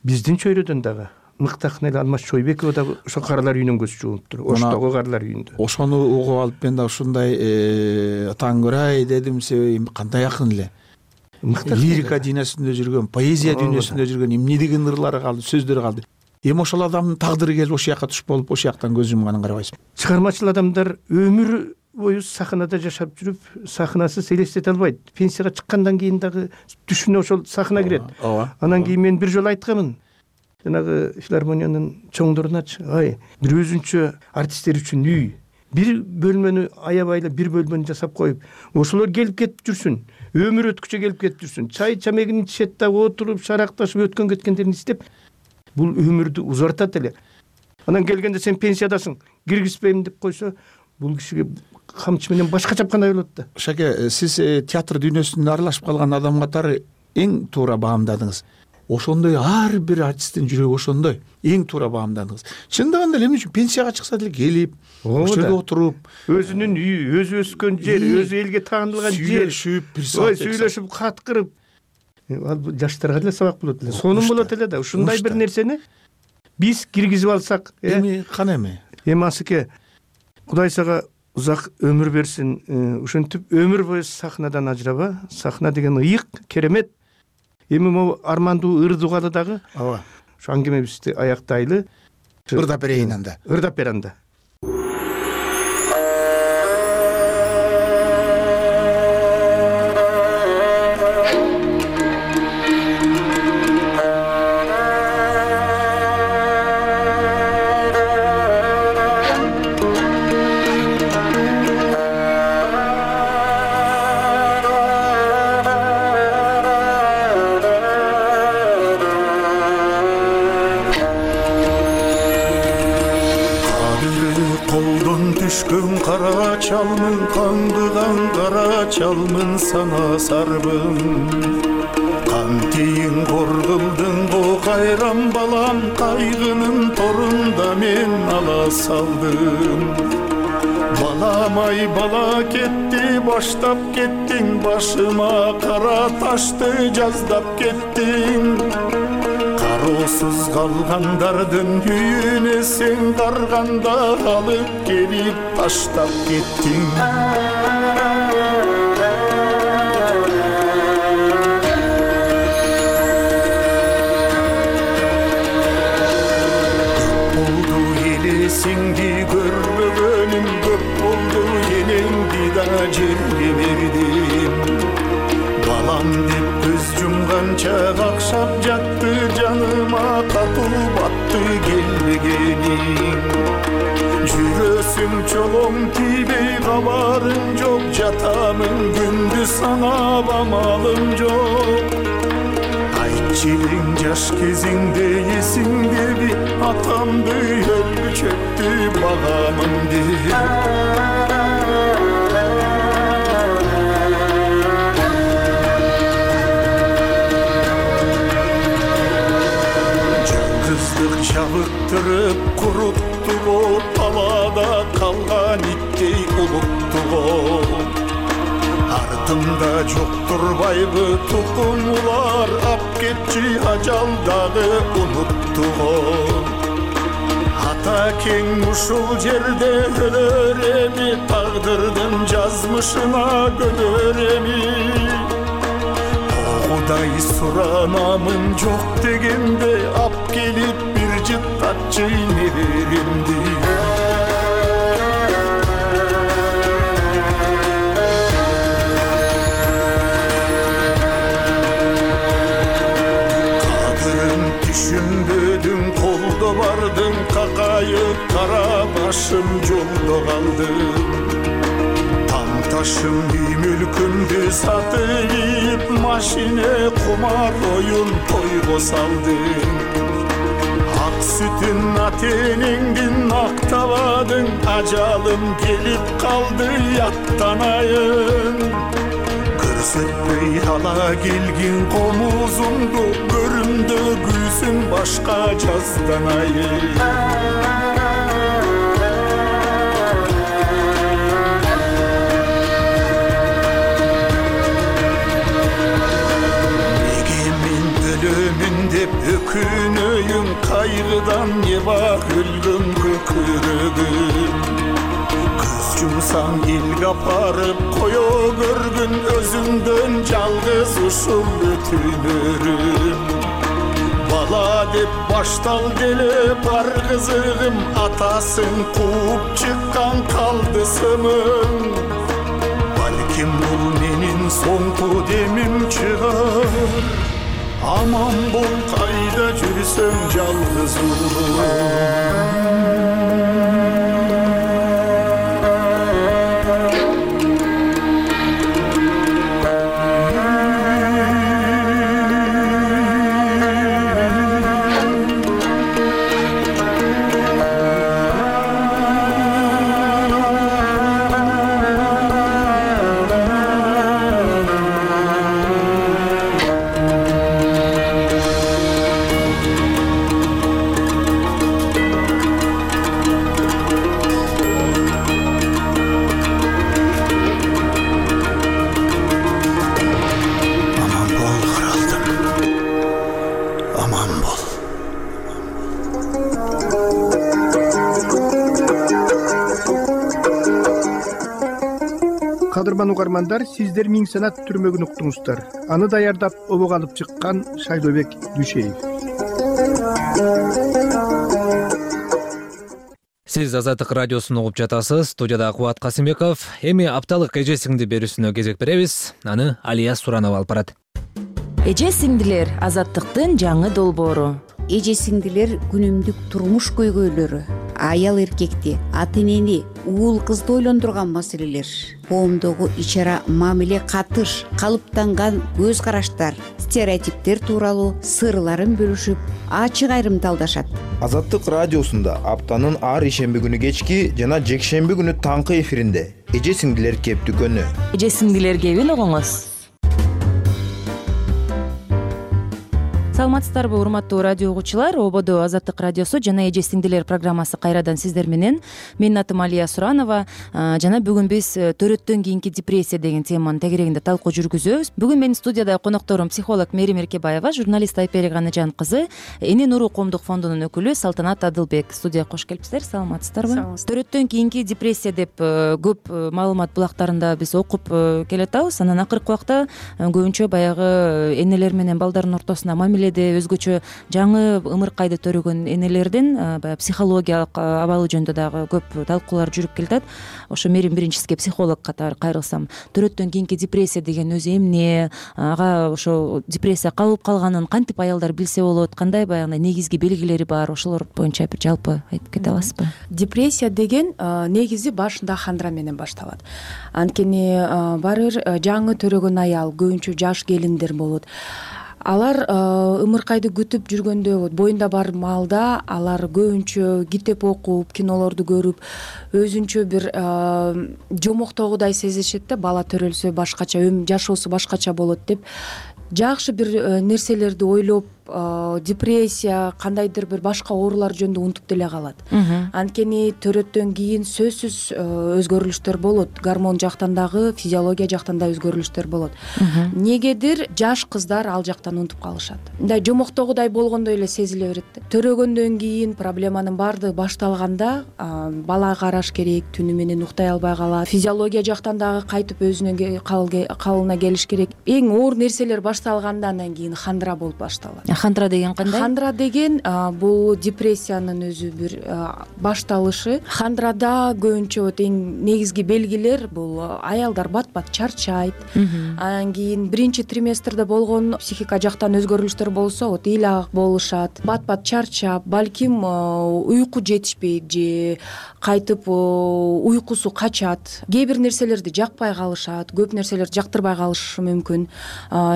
Speaker 11: биздин чөйрөдөн дагы мыкты акын эле Алмаз Чойбекова да ошо Каралар үйүнөн көз жумуптур. Оштогу Каралар үйүндө.
Speaker 3: Ошону угуп алып мен да ушундай таң дедим, себеби кандай акын эле. Лирика дүйнөсүндө жүргөн, поэзия дүйнөсүндө жүргөн, эмне деген ырлары калды, сөздөрү калды. Эми ошол адамдын тагдыры келип ошол жакка туш болуп, ошол жактан көз жумганын карабайсызбы?
Speaker 11: Чыгармачыл адамдар өмүр бою сахнада жашап жүрүп, сахнасыз элестете албайт. Пенсияга чыккандан кийин дагы түшүнө ошол сахна кирет. Анан кийин мен бир жолу айтканмын. Жанагы филармониянын чоңдоруначы, ай, бир өзүнчө артисттер үчүн үй, бир бөлмөнү аябай эле бир бөлмөнү жасап коюп, ошолор келип кетип жүрсүн, өмүр өткүчө келип кетип жүрсүн, чай чамегин ичишет да, отуруп шаракташып өткөн кеткендерин издеп, бул өмүрдү узартат эле. Анан келгенде сен пенсиядасың, киргизбейм деп койсо, бул кишиге камчы менен башка чапкандай болот да.
Speaker 3: Шаке, сиз театр дүйнөсүндө аралашып калган адам катары эң туура баамдадыңыз. Ошондой ар бир артисттин жүрөгү ошондой, эң туура баамдадыңыз. Чындыгында эле эмне үчүн пенсияга чыкса деле келип, ошол жерде отуруп,
Speaker 11: өзүнүн үйү, өзү өскөн жер, өзү элге таанылган жер,
Speaker 3: сүйлөшүп, бир саат
Speaker 11: сүйлөшүп, кат кырып, ал жаштарга деле сабак болот эле, сонун болот эле да. Ушундай бир нерсени биз киргизип алсак,
Speaker 3: эми кана эми.
Speaker 11: Эми Асыке, Кудай сага узак өмүр берсин. Ушинтип өмүр бою сахнадан ажыраба. Сахна деген ыйык, керемет. Эми могу армандуу ыр дугалы дагы.
Speaker 3: Ооба.
Speaker 11: Ушу аңгемебизди аяктайлы.
Speaker 3: Ырдап берейин анда.
Speaker 11: Ырдап бер анда.
Speaker 12: чалмын, каңгыган кара чалмын, сана сарбын. Кантейин коргулдуң го кайран балам, кайгынын торунда мен ала салдым. Балам ай бала кетти, баштап кеттиң, башыма кара ташты жаздап кеттиң. Кароосуз калгандардын үйүнө сен карганда алып келип таштап кеттиң. Сеңди көрбөгөнүм көп болду, энеңди да жерге бердим. Балам деп көз жумганча какшап жатты, жаныма катуу батты келбегениң. Жүрөсүң чолоң тийбей кабарың жок, жатамын күндүз саңап амалым жок. Айтчылың жаш кезиңде эсиңдеби, атамды өлчөттү багамымды. Жалгыздык жабыктырып курутту го, талаада калган иттей улутту го. Артымда жоктурбайбы тукумулар, ап кетчи ажал дагы унутту го. Ата кең ушул жерде өлөр эми, тагдырдын жазмышына көнөр эми. Кудай суранамын жок дегенде, ап келип бир жыттатчы неберемди. Түшүнбөдүң, колдо бардың, какайып кара башым жолдо калдым. Там ташым үй мүлкүмдү сатып, машине кумар оюн тойго салдым. Ак сүтүн ата-энеңдин актабадың, ажалым келип калды аттанайын. Көрсөтпөй ала келгин комузумду, көрүмдө күйсүң башка жазданайын. Неге мен өлөмүн деп өкүнөйүң, кайгыдан неба өлгөн көкүрөгүм. Жумсаң элге апарып кое көргүн, өзүңдөн жалгыз ушул өтүнөрүм. Бала деп баштал деле бар кызыгым, атасын кууп чыккан калды сымың. Балким бул менин соңку демим чыгар, аман бол кайда жүрсөң жалгыз улум.
Speaker 11: Кадырман угармандар, сиздер Миң санат түрмөгүн уктуңуздар. Аны даярдап обого алып чыккан Шайлообек Дүйшеев.
Speaker 1: Сиз Азаттык радиосун угуп жатасыз. Студияда Кубат Касымбеков. Эми апталык эже сиңди берүүсүнө кезек беребиз. Аны Алия Суранова алып барат.
Speaker 2: Эже сиңдилер Азаттыктын жаңы долбоору.
Speaker 13: Эже сиңдилер күнүмдүк турмуш көйгөйлөрү. аял эркекти, ата энени, уул кызды ойлондурган маселелер, коомдогу ич ара мамиле, катыш, калыптанган көз караштар, стереотиптер тууралуу сырларын бөлүшүп, ачык айрымдалдашат.
Speaker 14: Азаттык радиосунда аптанын ар ишемби күнү кечки жана жекшемби күнү таңкы эфиринде эже сиңдилер кептүкөнү.
Speaker 15: Эже сиңдилер кебин угуңуз. Саламатсыздарбы урматтуу радио угуучулар? Ободо Азаттык радиосу жана эже сиңдилер программасы кайрадан сиздер менен. Менин атым Алия Суранова жана бүгүн биз төрөттөн кийинки депрессия деген теманын тегерегинде талкуу жүргүзөбүз. Бүгүн менин студияда конокторум психолог Мерим Эркебаева, журналист Айперик Анажан кызы, Эне Нуру коомдук фондунун өкүлү Салтанат Адылбек. Студияга кош келипсиздер. Саламатсыздарбы? Төрөттөн кийинки депрессия деп көп маалымат булактарында биз окуп келатабыз. Анан акыркы убакта көбүнчө баягы энелер менен балдардын ортосунда мамиле өзгөчө жаңы ымыркайды төрөгөн энелердин баягы психологиялык абалы жөнүндө дагы көп талкуулар жүрүп келатат. Ошо Мерим биринчисиге психолог катары кайрылсам, төрөттөн кийинки депрессия деген өзү эмне, ага ошо депрессия кабылып калганын кантип аялдар билсе болот, кандай баягы негизги белгилери бар, ошолор боюнча бир жалпы айтып кете аласызбы?
Speaker 2: Депрессия деген негизи башында хандра менен башталат. Анткени баары бир жаңы төрөгөн аял, көбүнчө жаш келиндер болот. Алар ымыркайды күтүп жүргөндө, боюнда бар маалда алар көбүнчө китеп окуп, кинолорду көрүп, өзүнчө бир жомоктогудай сезишет да, бала төрөлсө башкача, жашоосу башкача болот деп. Жакшы бир нерселерди ойлоп, депрессия, кандайдыр бир башка оорулар жөнүндө унутуп деле калат. Анткени төрөттөн кийин сөзсүз өзгөрүлүштөр болот. Гормон жактан дагы, физиология жактан да өзгөрүлүштөр болот. Негедир жаш кыздар ал жактан унутуп калышат. Мындай жомоктогудай болгондой эле сезиле берет да. Төрөгөндөн кийин проблеманын баардыгы башталганда бала караш керек, түнү менен уктай албай калат. Физиология жактан дагы кайтып өзүнүн калыбына келиш керек. Эң оор нерселер башталгандан кийин хандра болуп башталат.
Speaker 15: Хандра деген кандай?
Speaker 2: Хандра деген бул депрессиянын өзү бир башталышы. Хандрада көбүнчө эң негизги белгилер бул аялдар бат-бат чарчайт. Анан кийин биринчи триместрде болгон психика жактан өзгөрүлүштөр болсо, вот ыйлагак болушат, бат-бат чарчап, балким уйку жетишпейт же кайтып уйкусу качат. Кээ бир нерселерди жакпай калышат, көп нерселерди жактырбай калышы мүмкүн.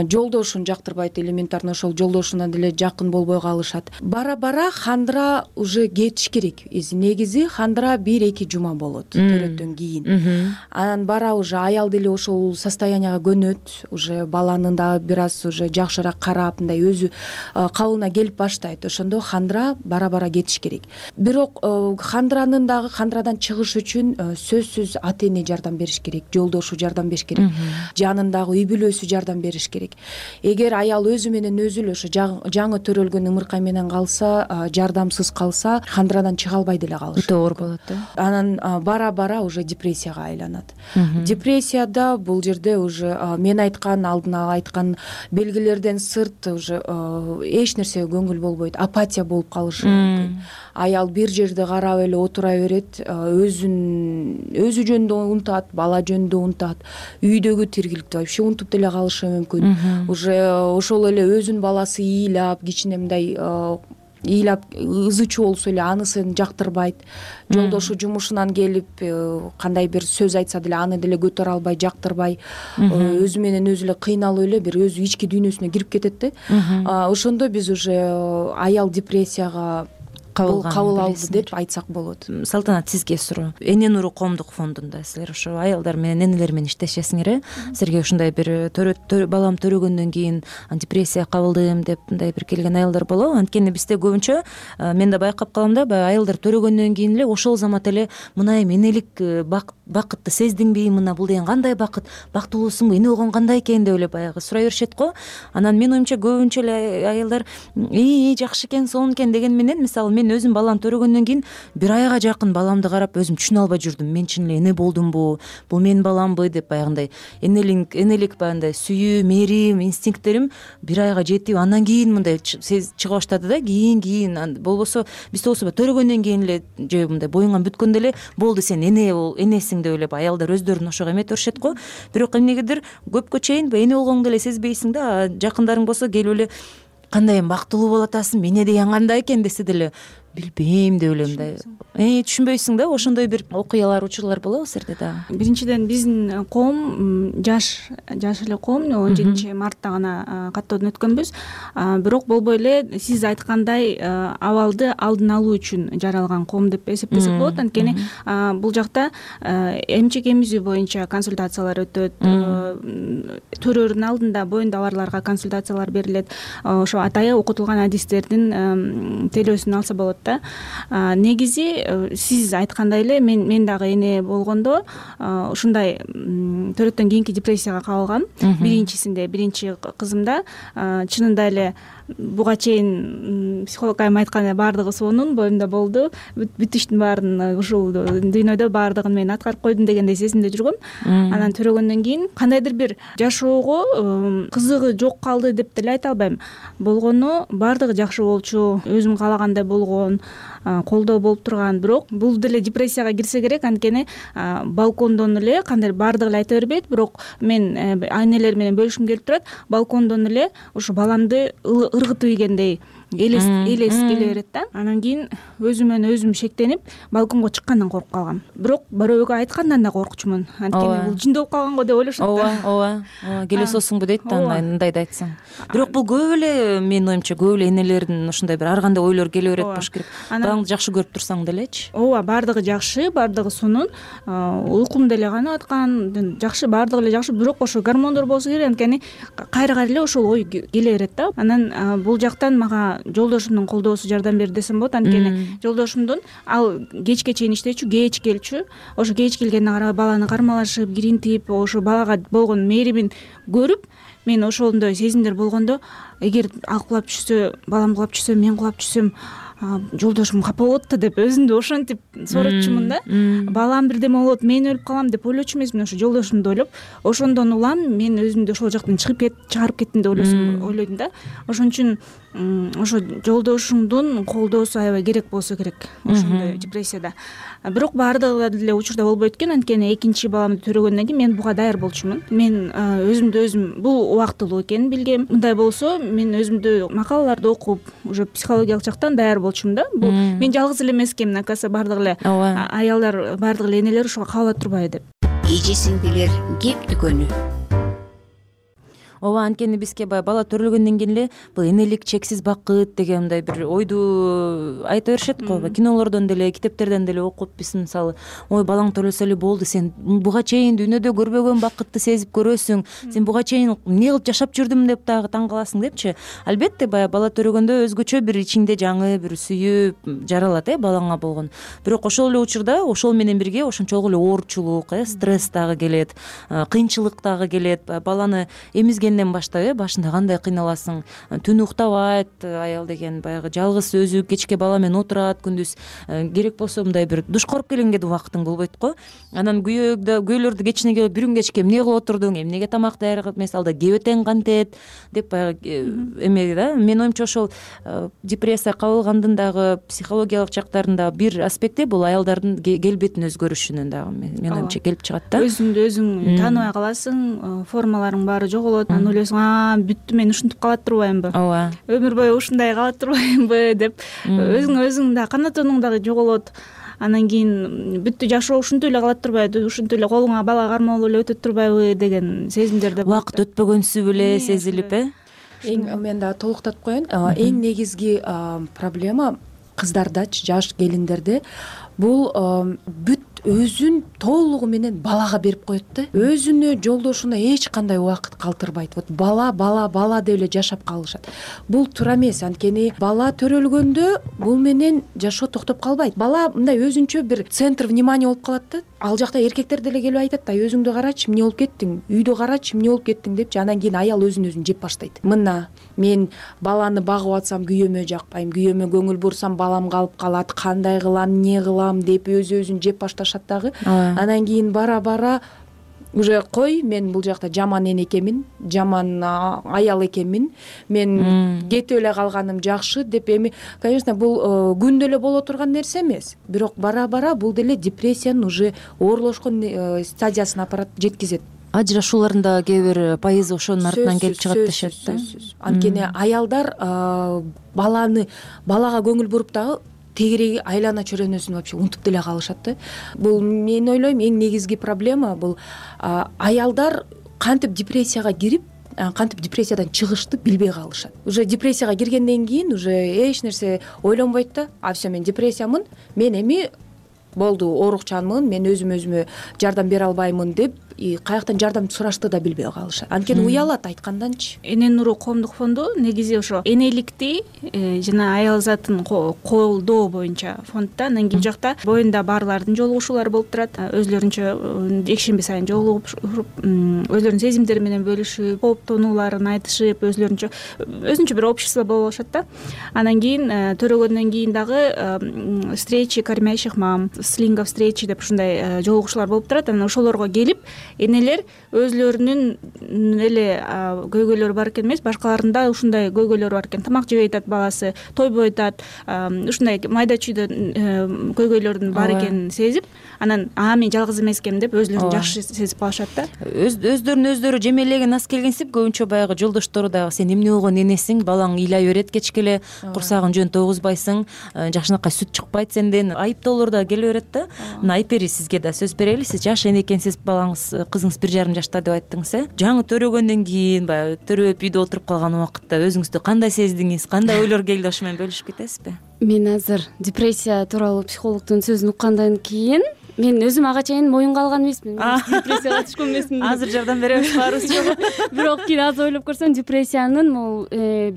Speaker 2: Жолдошун жактырбайт, элементарно ошол жолдошуна деле жакын болбой калышат. Бара-бара хандра уже кетиш керек. Негизи хандра бир-эки жума болот төрөттөн кийин. Анан бара уже аял деле ошол состоянияга көнөт, уже баланын дагы бир аз уже жакшыраак карап, мындай өзү кабылына келип баштайт. Ошондо хандра бара-бара кетиш керек. Бирок хандранын дагы хандрадан чыгыш үчүн сөзсүз ата эне жардам бериш керек, жолдошу жардам бериш керек, жанындагы үй бүлөсү жардам бериш керек. Эгер аял өзү менен өзү эле ошо жаңы төрөлгөн ымыркай менен калса, жардамсыз калса, хандрадан чыга албай деле калышы
Speaker 15: өтө оор болот да.
Speaker 2: Анан бара-бара уже депрессияга айланат. Депрессияда бул жерде уже мен айткан, алдын ала айткан белгилерден сырт уже эч нерсеге көңүл болбойт, апатия болуп калышы мүмкүн. Аял бир жерде карап эле отура берет, өзүн өзү жөнүндө унутат, бала жөнүндө унутат, үйдөгү тиргиликти вообще унутуп деле калышы мүмкүн. Уже ошол эле өзүнүн баласы ыйлап, кичине мындай ыйлап ызы чуу болсо эле анысын жактырбайт. Жолдошу жумушунан келип кандай бир сөз айтса деле аны деле көтөрө албай, жактырбай, өзү менен өзү эле кыйналып эле бир өзү ички дүйнөсүнө кирип кетет да. Ошондо биз уже аял депрессияга кабыл алды деп айтсак болот.
Speaker 15: Салтанат, сизге суроо. Эне Нуру коомдук фондунда силер ошо аялдар менен, энелер менен иштешесиңер, э? Силерге ушундай бир балам төрөгөндөн кийин депрессия кабылдым деп мындай бир келген аялдар болобу? Анткени бизде көбүнчө мен да байкап калам да, баягы аялдар төрөгөндөн кийин эле ошол замат эле мына эми энелик бакытты сездиңби, мына бул деген кандай бакыт, бактылуусуңбу, эне болгон кандай экен деп эле баягы сурай беришет го. Анан менин оюмча көбүнчө эле аялдар ии жакшы экен, сонун экен деген менен, мисалы мен өзүм балам төрөгөндөн кийин бир айга жакын баламды карап өзүм түшүнө албай жүрдүм. Мен чын эле эне болдумбу, бул менин баламбы деп баягындай энелик энелик баягындай сүйүү, мээрим, инстинкттерим бир айга жетип, андан кийин мындай чыга баштады да. Кийин кийин болбосо бизде болсо төрөгөндөн кийин эле же мындай боюңан бүткөндө эле болду, сен эне энесиң деп эле аялдар өздөрүн ошого эметип беришет го. Бирок эмнегедир көпкө чейин эне болгоңду эле сезбейсиң да. Жакындарың болсо келип эле кандай эми бактылуу болуп атасың, эне деген кандай экен десе деле билбейм деп элем да. Э түшүнбөйсүң да, ошондой бир окуялар, учурлар болобу силерде дагы?
Speaker 16: Биринчиден биздин коом жаш жаш эле коом, он жетинчи мартта гана каттоодон өткөнбүз. Бирок болбой эле сиз айткандай абалды алдын алуу үчүн жаралган коом деп эсептесек болот. Анткени бул жакта эмчек эмизүү боюнча консультациялар өтөт, төрөөрдүн алдында боюнда барларга консультациялар берилет. Ошо атайы окутулган адистердин телөөсүн алса болот да. Негизи сиз айткандай эле мен мен дагы эне болгондо ушундай төрөттөн кийинки депрессияга кабылгам. Биринчисинде, биринчи кызымда чынында эле буга чейин психолог айым айткандай баардыгы сонун, боюмда болду. Бүт иштин баарын ушул дүйнөдө баардыгын мен аткарып койдум дегендей сезимде жүргөм. Анан төрөгөндөн кийин кандайдыр бир жашоого кызыгы жок калды деп деле айта албайм. Болгону баардыгы жакшы болчу, өзүм каалагандай болгон, колдоо болуп турган. Бирок бул деле депрессияга кирсе керек, анткени балкондон эле кандай баардыгы эле айта бербейт, бирок мен энелер менен бөлүшкүм келип турат. Балкондон эле ушу баламды ыргытып ийгендей элес элес келе берет да. Анан кийин өзүмөн өзүм шектенип балконго чыккандан коркуп калгам. Бирок бирөөгө айткандан да коркучумун. Анткени бул жиндоп калганго деп ойлошот да.
Speaker 15: Ооба, ооба. Келесосуңбу дейт да, мындайды айтсаң. Бирок бул көп эле, менин оюмча, көп эле энелердин ушундай бир ар кандай ойлор келе берет болуш керек. Балаңды жакшы көрүп турсаң делечи.
Speaker 16: Ооба, баардыгы жакшы, баардыгы сонун. Уйкум деле канып аткан, жакшы, баардыгы эле жакшы. Бирок ошо гормондор болсо керек, анткени кайра кайра эле ошол ой келе берет да. Анан бул жактан мага жолдошумдун колдоосу жардам берди десем болот. Анткени жолдошумдун ал кечке чейин иштечү, кеч келчү. Ошо кеч келгенине карабай баланы кармалашып, киринтип, ошо балага болгон мээримин көрүп, мен ошондой сезимдер болгондо, эгер ал кулап түшсө, балам кулап түшсө, мен кулап түшсөм, жолдошум капа болот да деп өзүмдү ошентип сооротчумун да. Балам бирдеме болот, мен өлүп калам деп ойлочу эмесмин, ошо жолдошумду ойлоп. Ошондон улам мен өзүмдү ошол жактан чыгып кет, чыгарып кеттим деп ойлосом, ойлойдум да. Ошон үчүн ошо жолдошуңдун колдоосу аябай керек болсо керек ошондой депрессияда. Бирок баардыгы деле учурда болбойт экен, анткени экинчи баламды төрөгөндөн кийин мен буга даяр болчумун. Мен өзүмдү өзүм бул убактылуу экенин билгем. Мындай болсо мен өзүмдү макалаларды окуп, уже психологиялык жактан даяр болчумун да. Бул мен жалгыз эле эмес экенмин, акасы баардыгы эле аялдар, баардыгы эле энелер ошого кабыла турбайбы деп.
Speaker 13: Эже сиңдилер кеп дүкөнү.
Speaker 15: Ооба, анткени бизге баягы бала төрөлгөндөн кийин эле бул энелик чексиз бакыт деген мындай бир ойду айта беришет го. Кинолордон деле, китептерден деле окуп биз мисалы, ой балаң төрөлсө эле болду, сен буга чейин дүйнөдө көрбөгөн бакытты сезип көрөсүң, сен буга чейин эмне кылып жашап жүрдүм деп дагы таң каласың депчи. Албетте баягы бала төрөгөндө өзгөчө бир ичиңде жаңы бир сүйүп жаралат э балаңа болгон. Бирок ошол эле учурда ошол менен бирге ошончолук эле оорчулук, э стресс дагы келет, кыйынчылык дагы келет. Баланы эмизген баштап э башында кандай кыйналасың, түн уктабайт аял деген, баягы жалгыз өзү кечке бала менен отурат, күндүз керек болсо мындай бир душ коруп келгенге да убактың болбойт го. Анан күйөөдө күйөөлөрдү кечине келип бир күн кечке эмне кылып отурдуң, эмнеге тамак даярдап эмес, алда кебетең кантет деп баягы эме да. Менин оюмча ошол депрессия кабылгандын дагы психологиялык жактарында бир аспекти бул аялдардын келбетин өзгөрүшүнөн дагы менин оюмча келип чыгат да.
Speaker 16: Өзүңдү өзүң тааныбай каласың, формаларың баары жоголот. Анан ойлойсуң, а бүттү, мен ушинтип кала турбаймынбы,
Speaker 15: ооба,
Speaker 16: өмүр бою ушундай кала турбаймынбы деп өзүң өзүң да канатонуң дагы жоголот. Анан кийин бүттү, жашоо ушинтип эле кала турбайбы, ушинтип эле колуңа бала кармалып эле өтө турбайбы деген сезимдерде
Speaker 15: убакыт өтпөгөнсү беле сезилип э.
Speaker 2: Эң мен дагы толуктатып коеюн. Эң негизги проблема кыздардачы, жаш келиндерде бул бүт өзүн толугу менен балага берип коет да. Өзүнө, жолдошуна эч кандай убакыт калтырбайт. Вот бала, бала, бала деп эле жашап калышат. Бул туура эмес, анткени бала төрөлгөндө бул менен жашоо токтоп калбайт. Бала мындай өзүнчө бир центр внимания болуп калат да. Ал жакта эркектер деле келип айтат да, өзүңдү карачы, эмне болуп кеттиң, үйдө карачы, эмне болуп кеттиң депчи. Анан кийин аял өзүн өзүн жеп баштайт. Мына мен баланы багып атсам күйөөмө жакпайм, күйөөмө көңүл бурсам балам калып калат, кандай кылам, эмне кылам деп өзү өзүн жеп башташат дагы. Анан кийин бара бара уже кой, мен бул жакта жаман эне экенмин, жаман аял экенмин, мен кетип эле калганым жакшы деп эми, конечно, бул күндө эле боло турган нерсе эмес. Бирок бара бара бул деле депрессиянын уже оорлошкон стадиясына апарат, жеткизет.
Speaker 15: Ажырашуулардын да кээ бир пайызы ошонун артынан келип чыгат дешет да.
Speaker 2: Анткени аялдар баланы балага көңүл буруп дагы тегереги айлана чөйрөнөсүн вообще унутуп деле калышат да. Бул мен ойлойм эң негизги проблема бул аялдар кантип депрессияга кирип, кантип депрессиядан чыгышты билбей калышат. Уже депрессияга киргенден кийин уже эч нерсе ойлонбойт да. А все, мен депрессиямын, мен эми болду, оорукчанмын, мен өзүм өзүмө жардам бере албаймын деп каяктан жардам сурашты да билбей калышат. Анткени уялат айтканданчы.
Speaker 16: Эне нуру коомдук фонду негизи ошо энеликти жана аял затын колдоо боюнча фондда. Анан кийин жакта боюнда барлардын жолугушуулары болуп турат. Өзлөрүнчө жекшемби сайын жолугуп, өзлөрүнүн сезимдери менен бөлүшүп, кооптонууларын айтышып, өзлөрүнчө өзүнчө бир общество болуп алышат да. Анан кийин төрөгөндөн кийин дагы встречи кормящих мам, слинга встречи деп ушундай жолугушуулар болуп турат. Анан ошолорго келип энелер өзлөрүнүн эле көйгөйлөрү бар экен эмес, башкаларында ушундай көйгөйлөрү бар экен. Тамак жебей атат баласы, тойбой атат, ушундай майда чүйдө көйгөйлөрдүн бар экенин сезип, анан а мен жалгыз эмес экенмин деп өзлөрүн жакшы сезип калышат да.
Speaker 15: Өздөрүн өздөрү жемелеген ас келгенсип көбүнчө баягы жолдоштору дагы сен эмне болгон энесиң, балаң ыйлай берет кечке эле, курсагын жөн тогузбайсың, жакшынакай сүт чыкпайт сенден, айыптоолор да келе берет да. Мына Айпери, сизге да сөз берели. Сиз жаш эне экенсиз, балаңыз кызыңыз бир жарым жашта деп айттыңыз, э? Жаңы төрөгөндөн кийин баягы төрөп үйдө отуруп калган убакытта өзүңүздү кандай сездиңиз, кандай ойлор келди, ошо менен бөлүшүп кетесизби?
Speaker 17: Мен азыр депрессия тууралуу психологдун сөзүн уккандан кийин мен өзүм ага чейин моюнга алган эмесмин. Депрессияга түшкөн эмесмин.
Speaker 15: Азыр жардам беребиз баарыбыз жок.
Speaker 17: Бирок кийин азыр ойлоп көрсөм, депрессиянын могу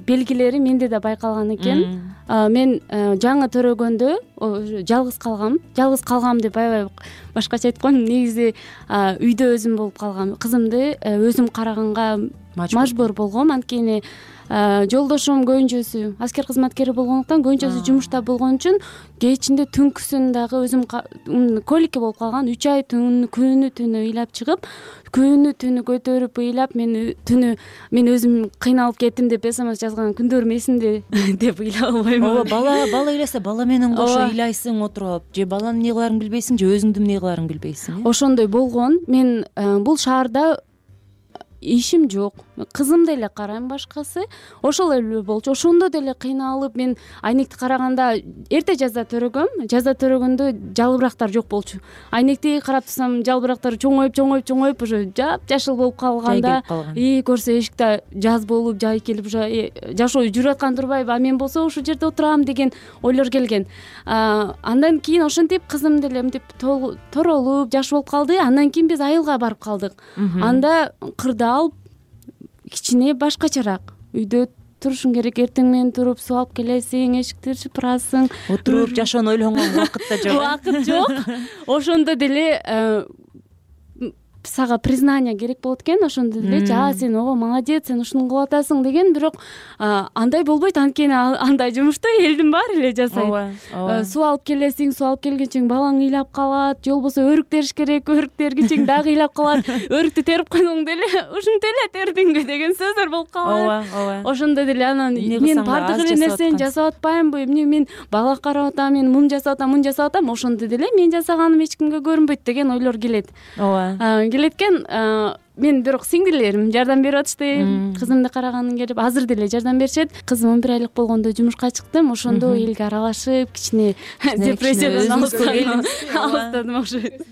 Speaker 17: белгилери менде да байкалган экен. Мен жаңы төрөгөндө жалгыз калгам. Жалгыз калгам деп аябай башкача айткан. Негизи үйдө өзүм болуп калгам. Кызымды өзүм караганга мажбур болгом. Анткени жолдошум көбүнчөсү аскер кызматкери болгондуктан, көбүнчөсү жумушта болгон үчүн кечинде түнкүсүн дагы өзүм коликке болуп калган. үч ай күнү түнү ыйлап чыгып, күнү түнү көтөрүп ыйлап, мен түнү мен өзүм кыйналып кеттим деп смс жазган күндөрүм эсимде деп ыйлап албайм.
Speaker 15: Ооба, бала бала ыйласа бала менен кошо ыйлайсың отуруп, же баланын эмне кыларын билбейсиң, же өзүңдүн эмне кыларыңды билбейсиң.
Speaker 17: Ошондой болгон. Мен бул шаарда ишим жок, кызымды эле карайм, башкасы ошол эле болчу. Ошондо деле кыйналып, мен айнекти караганда эрте жаза төрөгөм. Жаза төрөгөндө жалбырактар жок болчу. Айнекти карап турсам, жалбырактар чоңоюп чоңоюп чоңоюп уже жап-жашыл болуп калганда, и көрсө эшикте жаз болуп, жай келип, уже жашоо жүрүп аткан турбайбы, а мен болсо ушул жерде отурам деген ойлор келген. Андан кийин ошентип кызым деле мынтип торолуп, жаш болуп калды. Андан кийин биз айылга барып калдык. Анда кырда алып, кичине башкачараак үйдө турушуң керек. Эртең менен туруп суу алып келесиң, эшикти чыпырасың,
Speaker 15: отуруп жашоону ойлонгонго убакыт да жок.
Speaker 17: Убакыт жок. Ошондо деле сага признание керек болот экен. Ошондо деле жа сен ого молодец, сен ушуну кылып атасың деген. Бирок андай болбойт, анткени андай жумушту элдин баары эле жасайт. Суу алып келесиң, суу алып келгенчең балаң ыйлап калат, же болбосо өрүк териш керек, өрүк тергенчең дагы ыйлап калат. Өрүктү терип койсоң деле ушинтип эле тердиңби деген сөздөр болуп калат.
Speaker 15: Ооба.
Speaker 17: Ошондо деле анан мен бардык эле нерсени жасап атпаймынбы, эмне мен бала карап атам, мен муну жасап атам, муну жасап атам. Ошондо деле мен жасаганым эч кимге көрүнбөйт деген ойлор келет.
Speaker 15: Ооба.
Speaker 17: Келеткен. Мен бирок сиңдилерим жардам берип атышты. Кызымды караганын келип азыр деле жардам беришет. Кызым он бир айлык болгондо жумушка чыктым. Ошондо элге аралашып, кичине депрессиядан алыстадым окшойт.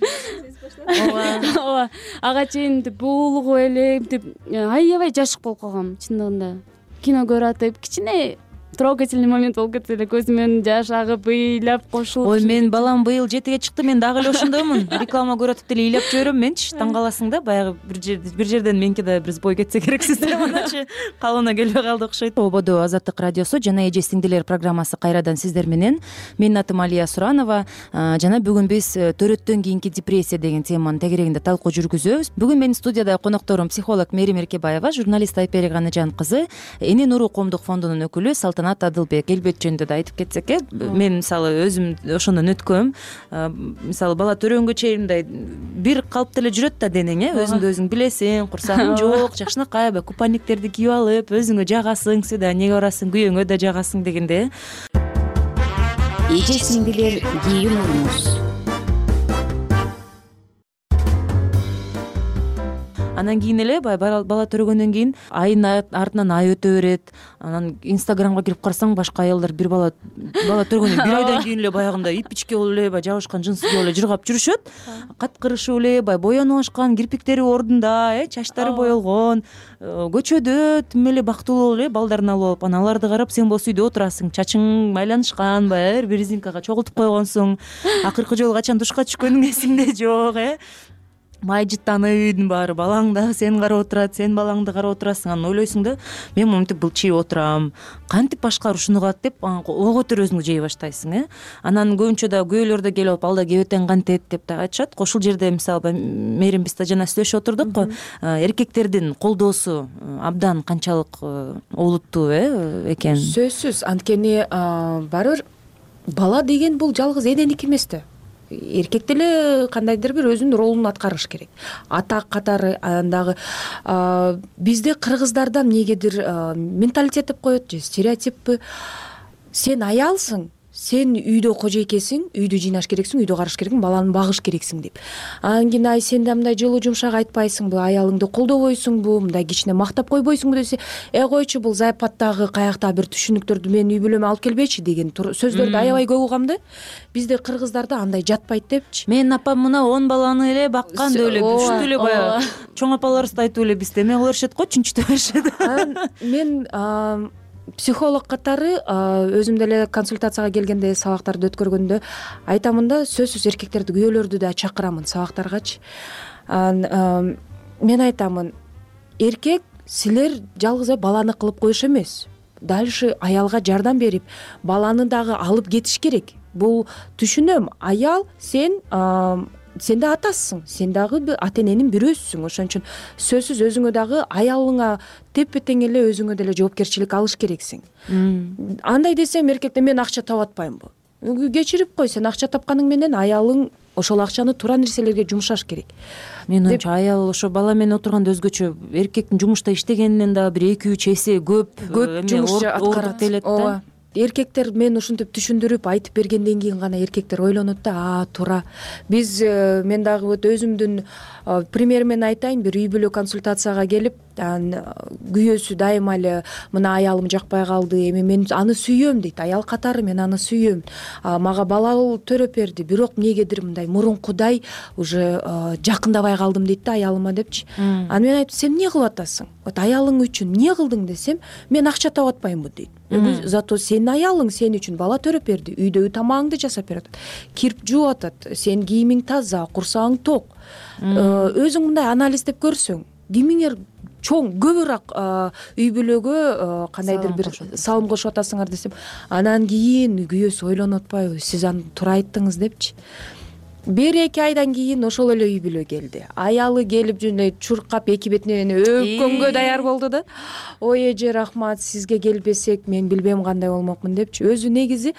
Speaker 17: Ооба. Ага чейин буулугуп эле аябай жашык болуп калгам чындыгында. Кино көрүп атып, кичине трогательный момент болуп кетти эле, көзүмөн жаш агып, ыйлап кошулуп.
Speaker 15: Ой, мен балам быйыл жетиге чыкты, мен дагы эле ошондоймун. Реклама көрүп атып деле ыйлап жиберем менчи. Таң каласың да, баягы бир жерде бир жерден меники да бир бой кетсе керексиз деп аначы калыбына келбей калды окшойт. Ободо Азаттык радиосу жана Эже сиңдилер программасы кайрадан сиздер менен. Менин атым Алия Суранова. Жана бүгүн биз төрөттөн кийинки депрессия деген теманын тегерегинде талкуу жүргүзөбүз. Бүгүн менин студияда конокторум психолог Мерим Эркебаева, журналист Айпери Ганижан кызы, Эне нуру коомдук фондунун өкүлү Салтанат Адылбек. Элбет жөнүндө да айтып кетсек, э, мен мисалы өзүм ошондон өткөм. Мисалы бала төрөнгө чейин мындай бир калыпта эле жүрөт да денең, э, өзүңдү өзүң билесиң, курсагың жок, жакшынакай купальниктерди кийип алып, өзүңө жагасың, свиданиеге барасың, күйөөңө да жагасың дегенде.
Speaker 13: Эже сиңдилер кийим урмуз.
Speaker 15: анан кийин эле баягы бала төрөгөндөн кийин айдын артынан ай өтө берет, анан инстаграмга кирип карасаң башка аялдар бир бала бала төрөгөндөн бир айдан кийин эле баягындай ипичке болуп эле баягы жабышкан джинсы кийип эле жыргап жүрүшөт, каткырышып эле баягы боянып ашкан, кирпиктери ордунда, э чачтары боелгон, көчөдө тим эле бактылуу эле балдарын алып алып, анан аларды карап сен болсо үйдө отурасың, чачың майланышкан, баягы бир резинкага чогултуп койгонсуң, акыркы жолу качан душка түшкөнүң эсиңде жок, э май жыттанып үйдүн баары, балаң дагы сени карап отурат, сен балаңды карап отурасың, анан ойлойсуң да мен монтип былчыйып отурам, кантип башкалар ушуну кылат деп ого көтөрүп өзүңдү жей баштайсың, э анан көбүнчө да күйөөлөр да келип алып ал да кебетен кантет деп да айтышат. Ошол жерде мисалы мээрим биз да жана сүйлөшүп отурдук го, эркектердин колдоосу абдан канчалык олуттуу э экен.
Speaker 2: Сөзсүз, анткени барыбир бала деген бул жалгыз эненики эмес да. Эркек деле кандайдыр бир өзүнүн ролун аткарыш керек. Ата катары андагы бизде кыргыздарда эмнегедир менталитет деп коет же стереотиппи, сен аялсың, сен үйдө кожойкесиң, үйдү жыйнаш керексиң, үйдү караш керексиң, баланы багыш керексиң деп. Анан кийин ай сен да мындай жылуу жумшак айтпайсыңбы, аялыңды колдобойсуңбу, мындай кичине мактап койбойсуңбу десе, э койчу бул зайыпаттагы каякта бир түшүнүктөрдү менин үй бүлөмө алып келбечи деген сөздөрдү аябай көп угам да. Бизде кыргыздарда андай жатпайт депчи.
Speaker 15: Менин апам мына он баланы эле баккан деп эле ушунтип эле баягы чоң апаларыбыз да айтып эле бизде эме кыла беришет го, чүнчүтө беришет.
Speaker 2: Мен психолог катары өзүм деле консультацияга келгенде, сабактарды өткөргөндө айтамын да, сөзсүз эркектерди, күйөөлөрдү да чакырамын сабактаргачы. Мен айтамын, эркек силер жалгыз баланы кылып коюш эмес, дальше аялга жардам берип, баланы дагы алып кетиш керек. Бул түшүнөм, аял сен сен да атасың, сен дагы ата эненин бирөөсүң, ошон үчүн сөзсүз өзүңө дагы аялыңа тепе тең эле өзүңө деле жоопкерчилик алыш керексиң. Андай десем, эркекте мен акча таап атпаймынбы? Кечирип кой, сен акча тапканың менен аялың ошол акчаны туура нерселерге жумшаш керек.
Speaker 15: Менин оюмча аял ошо бала менен отурганда өзгөчө, эркектин жумушта иштегенинен дагы бир эки үч эсе көп
Speaker 2: көп жумуш аткарат да. Эркектер мен ушинтип түшүндүрүп айтып бергенден кийин гана эркектер ойлонот да, а туура. Биз мен дагы вот өзүмдүн пример менен айтайын, бир үй бүлө консультацияга келип, күйөөсү дайыма эле мына аялым жакпай калды, эми мен аны сүйөм дейт, аял катары мен аны сүйөм, мага бала төрөп берди, бирок эмнегедир мындай мурункудай уже жакындабай калдым дейт да аялыма депчи. Анан мен айтып, сен эмне кылып атасың? Вот аялың үчүн эмне кылдың десем, мен акча таап атпаймынбы дейт. Зато сенин аялың сен үчүн бала төрөп берди, үйдөгү тамагыңды жасап берип атат, кирип жууп атат, сен кийимиң таза, курсагың ток. Өзүң мындай анализ деп көрсөң, кимиңер чоң көбүрөөк үй бүлөгө кандайдыр бир салым кошуп атасыңар десем, анан кийин күйөөсү ойлонуп атпайбы, сиз аны туура айттыңыз депчи. Бир эки айдан кийин ошол эле үй бүлө келди. Аялы келип жөнөй чуркап эки бетинен өпкөнгө даяр болду да. Ой эже рахмат, сизге келбесек мен билбем кандай болмокмун депчи. Өзү негизи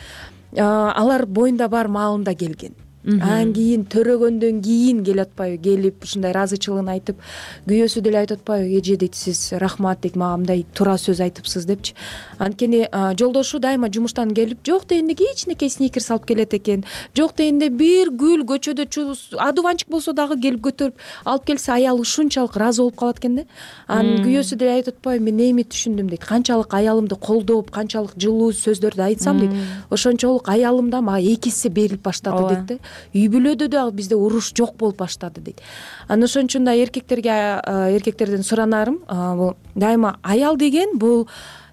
Speaker 2: алар боюнда бар маалында келген. Анан кийин төрөгөндөн кийин келип атпайбы, келип ушундай ыраазычылыгын айтып, күйөөсү деле айтып атпайбы, эже дейт, сиз рахмат дейт, мага мындай туура сөз айтыпсыз депчи. Анткени жолдошу дайыма жумуштан келип, жок дегенде кичинекей сникерс алып келет экен, жок дегенде бир гүл көчөдө адуванчик болсо дагы келип көтөрүп алып келсе, аял ушунчалык ыраазы болуп калат экен да. Анан күйөөсү деле айтып атпайбы, мен эми түшүндүм дейт, канчалык аялымды колдоп, канчалык жылуу сөздөрдү айтсам дейт, ошончолук аялым да мага эки эсе берилип баштады дейт да. Үй бүлөдө дагы бизде уруш жок болуп баштады дейт. Анан ошон үчүн да эркектерге эркектерден суранарым, бул дайыма аял деген бул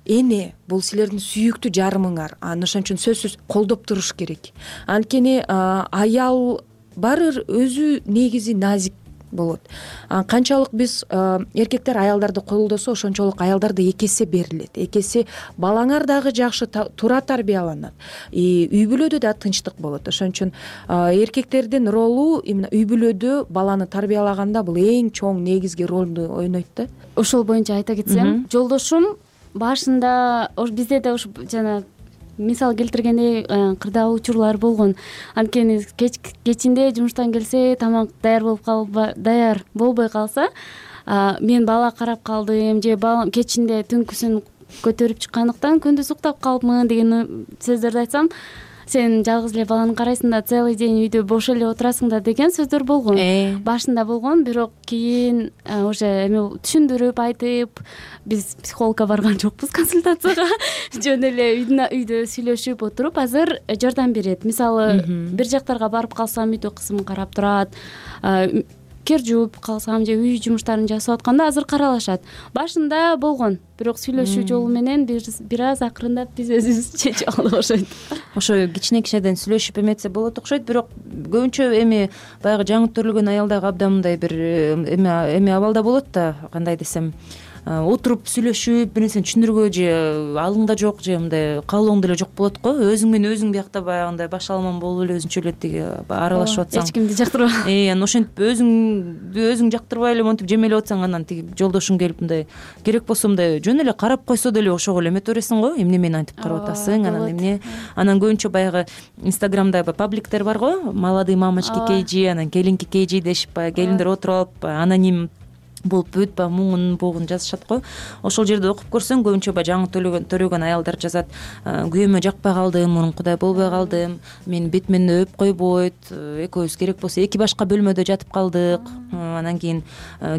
Speaker 2: эне, бул силердин сүйүктүү жарымыңар. Анан ошон үчүн сөзсүз колдоп туруш керек. Анткени аял барыбир өзү негизи назик болот. Канчалык биз эркектер аялдарды колдосо, ошончолук аялдар да эки эсе берилет. Эки эсе балаңар дагы жакшы туура тарбияланат. Үй бүлөдө да тынчтык болот. Ошон үчүн эркектердин ролу именно үй бүлөдө баланы тарбиялаганда бул эң чоң негизги ролду ойнойт да.
Speaker 17: Ошол боюнча айта кетсем, жолдошум башында бизде да ушу жана мисал келтиргендей кырдаал учурлар болгон. Анткени кечинде жумуштан келсе, тамак даяр болуп калып даяр болбой калса, мен бала карап калдым же балам кечинде түнкүсүн көтөрүп чыккандыктан күндүз уктап калыпмын деген сөздөрдү айтсам, сен жалгыз эле баланы карайсың да целый день үйдө бош эле отурасың да деген сөздөр болгон башында болгон. Бирок кийин уже эме түшүндүрүп айтып, биз психологко барган жокпуз консультацияга, жөн эле үйдө сүйлөшүп отуруп азыр жардам берет. Мисалы бир жактарга барып калсам үйдө кызым карап турат, кир жууп калсам же үй жумуштарын жасап атканда азыр каралашат. Башында болгон, бирок сүйлөшүү жолу менен бир аз акырындап биз өзүбүз чечип алдык окшойт.
Speaker 15: Ошо кичине кичинеден сүйлөшүп эметсе болот окшойт, бирок көбүнчө эми баягы жаңы төрөлгөн аялдагы абдан мындай бир эме эме абалда болот да, кандай десем, отуруп сүйлөшүп бир нерсени түшүндүргө же алыңда жок же мындай каалооңдо эле жок болот го. Өзүң менен өзүң биякта баягындай баш аламан болуп эле өзүнчө эле тиги аралашып атсаң,
Speaker 17: эч кимди жактырбай,
Speaker 15: э анан ошентип өзүңдү өзүң жактырбай эле монтип жемелеп атсаң, анан тиги жолдошуң келип мындай керек болсо мындай жөн эле карап койсо деле ошого эле эмете бересиң го, эмне мени антип карап атасың, анан эмне. Анан көбүнчө баягы Инстаграмда пабликтер бар го, молодые мамочки кейжи, анан келинки кейжи дешип баягы келиндер отуруп алып аноним болуп бүт баягы муңун богун жазышат го. Ошол жерде окуп көрсөң көбүнчө баягы жаңы төлөгөн төрөгөн аялдар жазат: күйөөмө жакпай калдым, мурункудай болбой калдым, менин бет менден өп койбойт, экөөбүз керек болсо эки башка бөлмөдө жатып калдык, анан кийин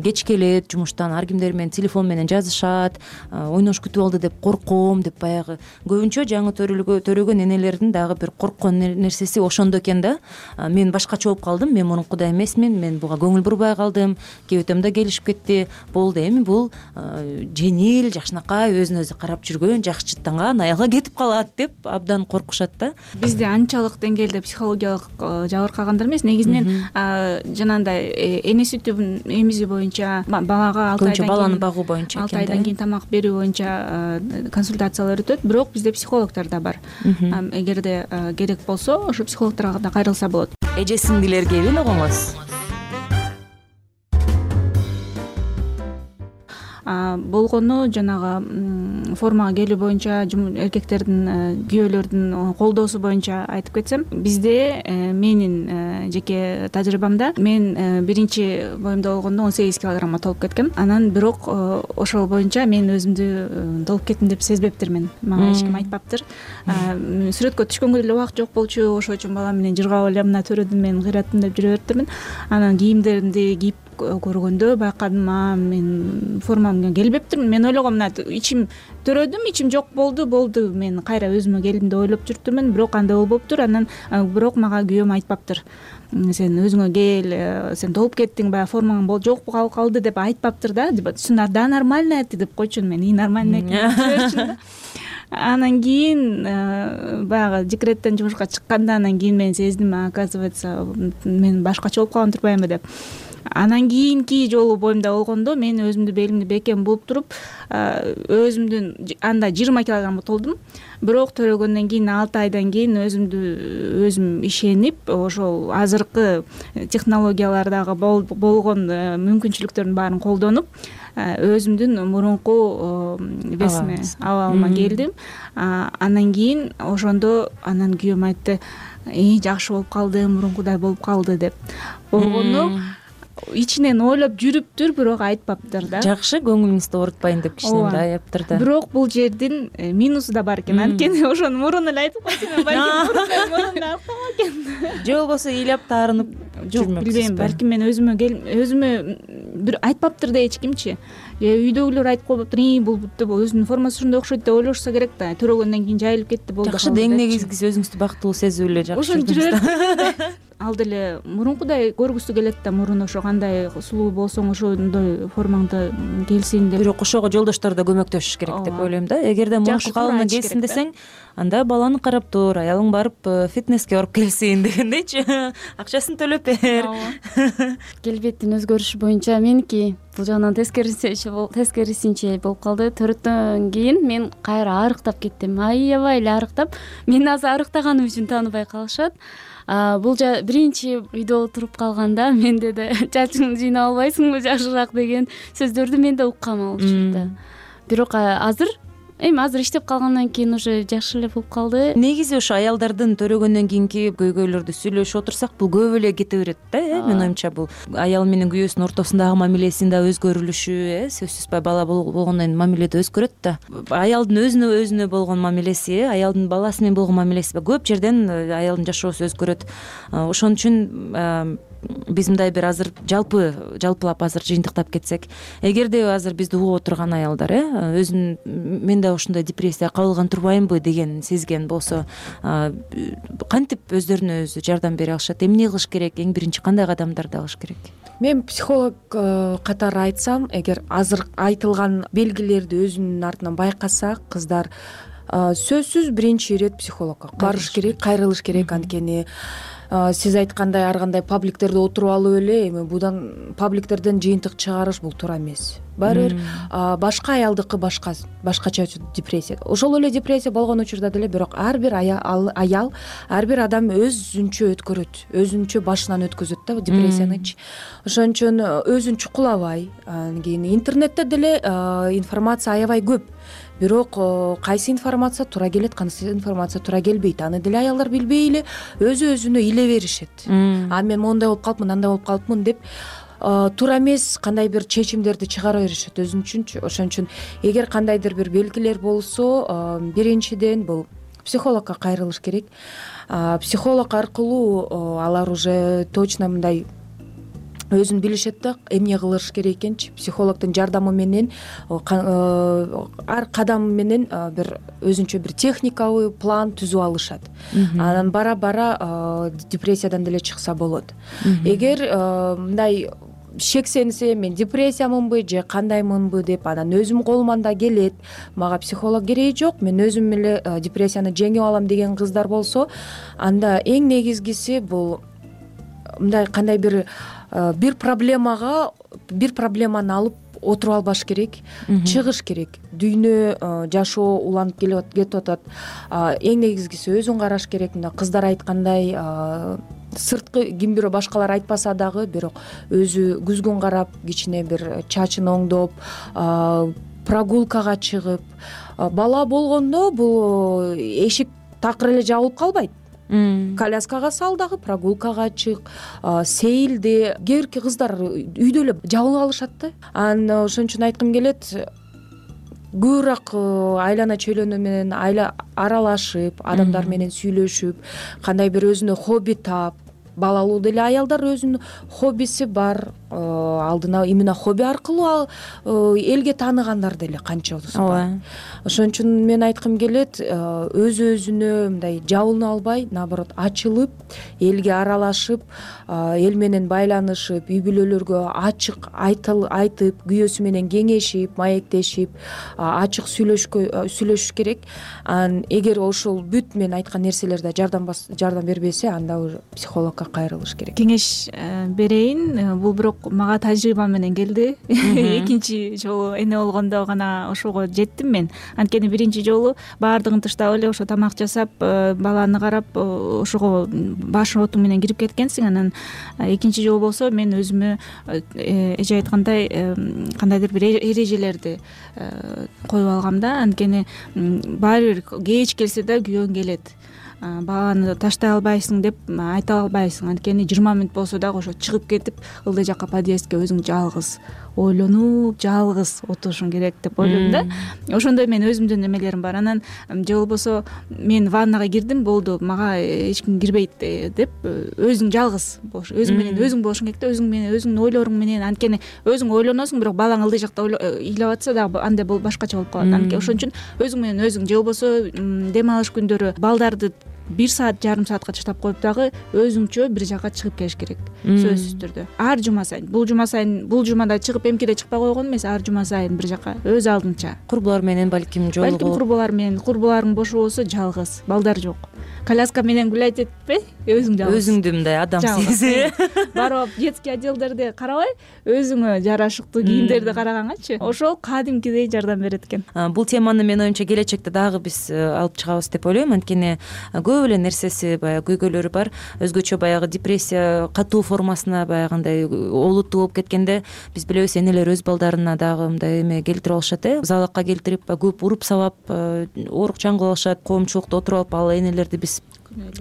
Speaker 15: кеч келет жумуштан, ар кимдер менен телефон менен жазышат, ойнош күтүп алды деп корком деп баягы көбүнчө жаңы төрөгөн энелердин дагы бир корккон нерсеси ошондо экен да. Мен башкача болуп калдым, мен мурункудай эмесмин, мен буга көңүл бурбай калдым, кебетем да келишип кетти, болду, эми бул жеңил, жакшынакай, өзүнө өзү карап жүргөн, жакшы жыттанган аялга кетип калат деп абдан коркушат да.
Speaker 16: Бизде анчалык деңгээлде психологиялык жабыркагандар эмес, негизинен жанагындай эне сүтүн эмизүү боюнча, балага алты айдан кийин
Speaker 15: баланы багуу боюнча,
Speaker 16: алты айдан кийин тамак берүү боюнча консультациялар өтөт, бирок бизде психологдор да бар. Эгерде керек болсо ошо психологторго да кайрылса болот.
Speaker 15: Эже сиңдилерге белогоңуз
Speaker 16: болгону жанагы формага келүү боюнча эркектердин, күйөөлөрдүн колдоосу боюнча айтып кетсем, бизде менин жеке тажрыйбамда мен биринчи боюмда болгондо он сегиз килограммга толуп кеткем. Анан бирок ошол боюнча мен өзүмдү толуп кеттим деп сезбептирмин. Мага эч ким айтпаптыр. Сүрөткө түшкөнгө деле убакыт жок болчу, ошол үчүн балам менен жыргап эле мына төрөдүм, мен кыйраттым деп жүрө бериптирмин. Анан кийимдеримди кийип көргөндө байкадым, а мен формамга келбептирмин. Мен ойлогом, мына ичим төрөдүм, ичим жок болду, болду, мен кайра өзүмө келдим деп ойлоп жүрүптүрмүн, бирок андай болбоптур. Анан бирок мага күйөөм айтпаптыр: сен өзүңө кел, сен толуп кеттиң, баягы формаң жок болуп калды деп айтпаптыр да. Да, нормально это деп койчун, мен и нормально экен. Анан кийин баягы декреттен жумушка чыкканда анан кийин мен сездим, оказывается, мен башкача болуп калган турбаймынбы деп. Анан кийинки жолу боюмда болгондо мен өзүмдү белимди бекем бууп туруп, өзүмдүн анда жыйырма килограммга толдум. Бирок төрөгөндөн кийин алты айдан кийин өзүмдү өзүм ишенип, ошол азыркы технологиялардагы болгон мүмкүнчүлүктөрдүн баарын колдонуп, өзүмдүн мурунку весиме, абалыма келдим. Анан кийин ошондо анан күйөөм айтты: жакшы болуп калды, мурункудай болуп калды деп. Болгону ичинен ойлоп жүрүптүр, бирок айтпаптыр да.
Speaker 15: Жакшы, көңүлүңүздү оорутпайын деп кичине мындай аяптыр да.
Speaker 16: Бирок бул жердин минусу да бар экен. Анткени ошону мурун эле айтып койсом, балким мурунда алып экен.
Speaker 15: Же болбосо ыйлап таарынып жүрмөк.
Speaker 16: Билбейм, балким мен өзүмө өзүмө бир айтпаптыр да эч кимчи. Же үйдөгүлөр айтып койбоптур: "И, бул өзүнүн формасы ушундай окшойт" деп ойлошсо керек да. Төрөгөндөн кийин жайылып кетти, болду.
Speaker 15: Жакшы, деңнегиңиз өзүңүздү бактылуу сезип эле жакшы.
Speaker 16: Ошентип жүрөт. Ал деле мурункудай көргүсү келет да, мурун ошо кандай сулуу болсоң ошондой формаңда келсин деп.
Speaker 15: Бирок ошого жолдоштор да көмөктөшүш керек деп ойлойм да. Эгерде мурунку калыбына келсин десең, анда баланы карап тур, аялың барып фитнеске барып келсин дегендейчи. Акчасын төлөп бер.
Speaker 17: Келбеттин өзгөрүшү боюнча меники бул жагынан тескерисинче тескерисинче болуп калды. Төрөттөн кийин мен кайра арыктап кеттим. Аябай эле арыктап, мени азыр арыктаганым үчүн тааныбай калышат. Бул биринчи үйдө отуруп калганда менде да чачыңды жыйнап албайсыңбы жакшыраак деген сөздөрдү мен да уккан болчумун да. Бирок азыр эми азыр иштеп калгандан кийин уже жакшы эле болуп калды.
Speaker 15: Негизи ошо аялдардын төрөгөндөн кийинки көйгөйлөрдү сүйлөшүп отурсак, бул көп эле кете берет да, э менин оюмча. Бул аял менен күйөөсүнүн ортосундагы мамилесинин да өзгөрүлүшү, э сөзсүз бала болгондон кийин мамиле да өзгөрөт да. Аялдын өзүнө өзүнө болгон мамилеси, аялдын баласы менен болгон мамилеси көп жерден аялдын жашоосу өзгөрөт. Ошон үчүн биз мындай бир азыр жалпы жалпылап азыр жыйынтыктап кетсек, эгерде азыр бизди угуп отурган аялдар э өзүн мен да ушундай депрессияга кабылган турбаймынбы деген сезген болсо, кантип өздөрүнө өзү жардам бере алышат? Эмне кылыш керек? Эң биринчи кандай кадамдарды алыш керек?
Speaker 2: Мен психолог катары айтсам, эгер азыр айтылган белгилерди өзүнүн артынан байкаса, кыздар сөзсүз биринчи ирет психологко барыш керек, кайрылыш керек. Анткени сиз айткандай ар кандай пабликтерде отуруп алып эле эми будан пабликтерден жыйынтык чыгарыш бул туура эмес. Баары бир башка аялдыкы башка башкача депрессия. Ошол эле депрессия болгон учурда деле, бирок ар бир аял, ар бир адам өзүнчө өткөрөт, өзүнчө башынан өткөзөт да депрессиянычы. Ошон үчүн өзүн чукулабай, анан кийин интернетте деле информация аябай көп. Бирок кайсы информация туура келет, кайсы информация туура келбейт, аны деле аялдар билбей эле өзү өзүнө иле беришет. А мен мондай болуп калыпмын, андай болуп калыпмын деп туура эмес кандай бир чечимдерди чыгара беришет өзүн үчүнчү. Ошон үчүн эгер кандайдыр бир белгилер болсо, биринчиден бул психологко кайрылыш керек. Психолог аркылуу алар уже точно мындай өзүн билишет да, эмне кылыш керек экенчи. Психологдун жардамы менен ар кадам менен бир өзүнчө бир техникалык план түзүп алышат. Анан бара бара депрессиядан деле чыкса болот. Эгер мындай шексенсе, мен депрессиямынбы же кандаймынбы деп, анан өзүм колуман да келет, мага психолог кереги жок, мен өзүм эле депрессияны жеңип алам деген кыздар болсо, анда эң негизгиси бул мындай кандай бир бир проблемага бир проблеманы алып отуруп албаш керек, чыгыш керек. Дүйнө жашоо уланып кетип атат. Эң негизгиси өзүн караш керек. Мына кыздар айткандай, сырткы ким бирөө башкалар айтпаса дагы, бирок өзү күзгүн карап, кичине бир чачын оңдоп, прогулкага чыгып, бала болгондо бул эшик такыр эле жабылып калбайт. Коляскага сал дагы, прогулкага чык, сейилде. Кээ бирки кыздар үйдө эле жабылып алышат да. Анан ошон үчүн айткым келет, көбүрөөк айлана чөйлөнүү менен аралашып, адамдар менен сүйлөшүп, кандай бир өзүнө хобби таап. Балалуу деле аялдар өзүнүн хоббиси бар. Алдына именно хобби аркылуу элге тааныгандар деле канчабыз бар. Ошон үчүн мен айткым келет, өз өзүнө мындай жабылып албай, наоборот ачылып, элге аралашып, эл менен байланышып, үй бүлөлөргө ачык айтып, күйөөсү менен кеңешип, маектешип, ачык сүйлөшүш керек. Анан эгер ошол бүт мен айткан нерселерде жардам жардам бербесе, анда уже психологко кайрылыш керек.
Speaker 16: Кеңеш берейин, бул бирок мага тажрыйба менен келди. Экинчи жолу эне болгондо гана ошого жеттим мен. Анткени биринчи жолу баардыгын таштап эле ошо тамак жасап, баланы карап, ошого баш оту менен кирип кеткенсиң. Анан экинчи жолу болсо мен өзүмө эже айткандай кандайдыр бир эрежелерди коюп алгам да. Анткени баары бир кеч келсе да күйөөң келет. Баланы таштай албайсың деп айта албайсың. Анткени жыйырма мүнөт болсо дагы ошо чыгып кетип, ылдый жакка подъездге өзүң жалгыз ойлонуп, жалгыз отурушуң керек деп ойлойм да. Ошондой мен өзүмдүн эмелерим бар. Анан же болбосо мен ваннага кирдим, болду, мага эч ким кирбейт деп өзүң жалгыз болуш, өзүң менен өзүң болушуң керек да, өзүң менен өзүңдүн ойлоруң менен. Анткени өзүң ойлоносуң, бирок балаң ылдый жакта ыйлап атса дагы андай болуп башкача болуп калат. Анткени ошон үчүн өзүң менен өзүң, же болбосо дем алыш күндөрү балдарды бир саат, жарым саатка таштап коюп дагы өзүңчө бир жакка чыгып келиш керек. Сөзсүз түрдө. Ар жума сайын, бул жума сайын, бул жумада чыгып эмкиде чыкпай койгон эмес, ар жума сайын бир жакка өз алдынча.
Speaker 15: Курбулар менен балким жолугуп.
Speaker 16: Балким курбулар менен, курбуларың бош болсо жалгыз, балдар жок. коляска менен гулять этпей өзүң жалгыз
Speaker 15: өзүңдү мындай адам сезип
Speaker 16: барып детский отделдерди карабай өзүңө жарашыктуу кийимдерди карагангачы ошол кадимкидей жардам берет экен.
Speaker 15: Бул теманы менин оюмча келечекте дагы биз алып чыгабыз деп ойлойм. Анткени көп эле нерсеси баягы көйгөйлөрү бар. Өзгөчө баягы депрессия катуу формасына баягындай олуттуу болуп кеткенде биз билебиз, энелер өз балдарына дагы мындай эме келтирип алышат, э залакка келтирип көп уруп сабап оорукчан кылып алышат. Коомчулукта отуруп алып ал энелерди биз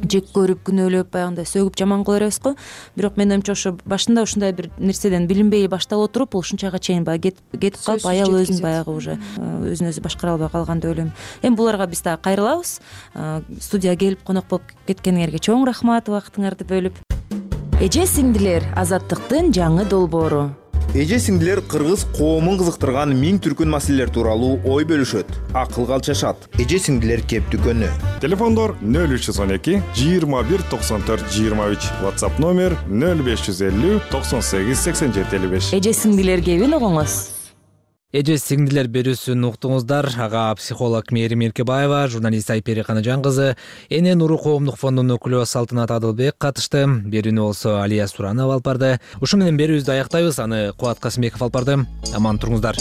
Speaker 15: жек көрүп, күнөөлөп, баягындай сөгүп жаман кыла беребиз го. Бирок менин оюмча ошо башында ушундай бир нерседен билинбей башталып отуруп, бул ушунчага чейин баягы кетип калып, аял өзүн баягы уже өзүн өзү башкара албай калган деп ойлойм. Эми буларга биз дагы кайрылабыз. Студияга келип конок болуп кеткениңерге чоң рахмат, убактыңарды бөлүп. Эже сиңдилер, азаттыктын жаңы долбоору.
Speaker 14: Эже сиңдилер кыргыз коомун кызыктырган миң түркүн маселелер тууралуу ой бөлүшөт, акылга алчашат. Эже сиңдилер кеп дүкөнү.
Speaker 18: Телефондор нөл үч жүз он эки жыйырма бир токсон төрт жыйырма үч, WhatsApp номер нөл беш жүз элүү токсон сегиз сексен жети элүү беш.
Speaker 15: Эже сиңдилер кебин угуңуз.
Speaker 1: Эже сиңдилер берүүсүн уктуңуздар. Ага психолог Мээрим Эркебаева, журналист Айпери Канажан кызы, Эне нуру коомдук фондунун өкүлү Салтынат Адылбек катышты. Берүүнү болсо Алия Суранова алып барды. Ушу менен берүүбүздү аяктайбыз. Аны Кубат Касымбеков алып барды. Аман туруңуздар.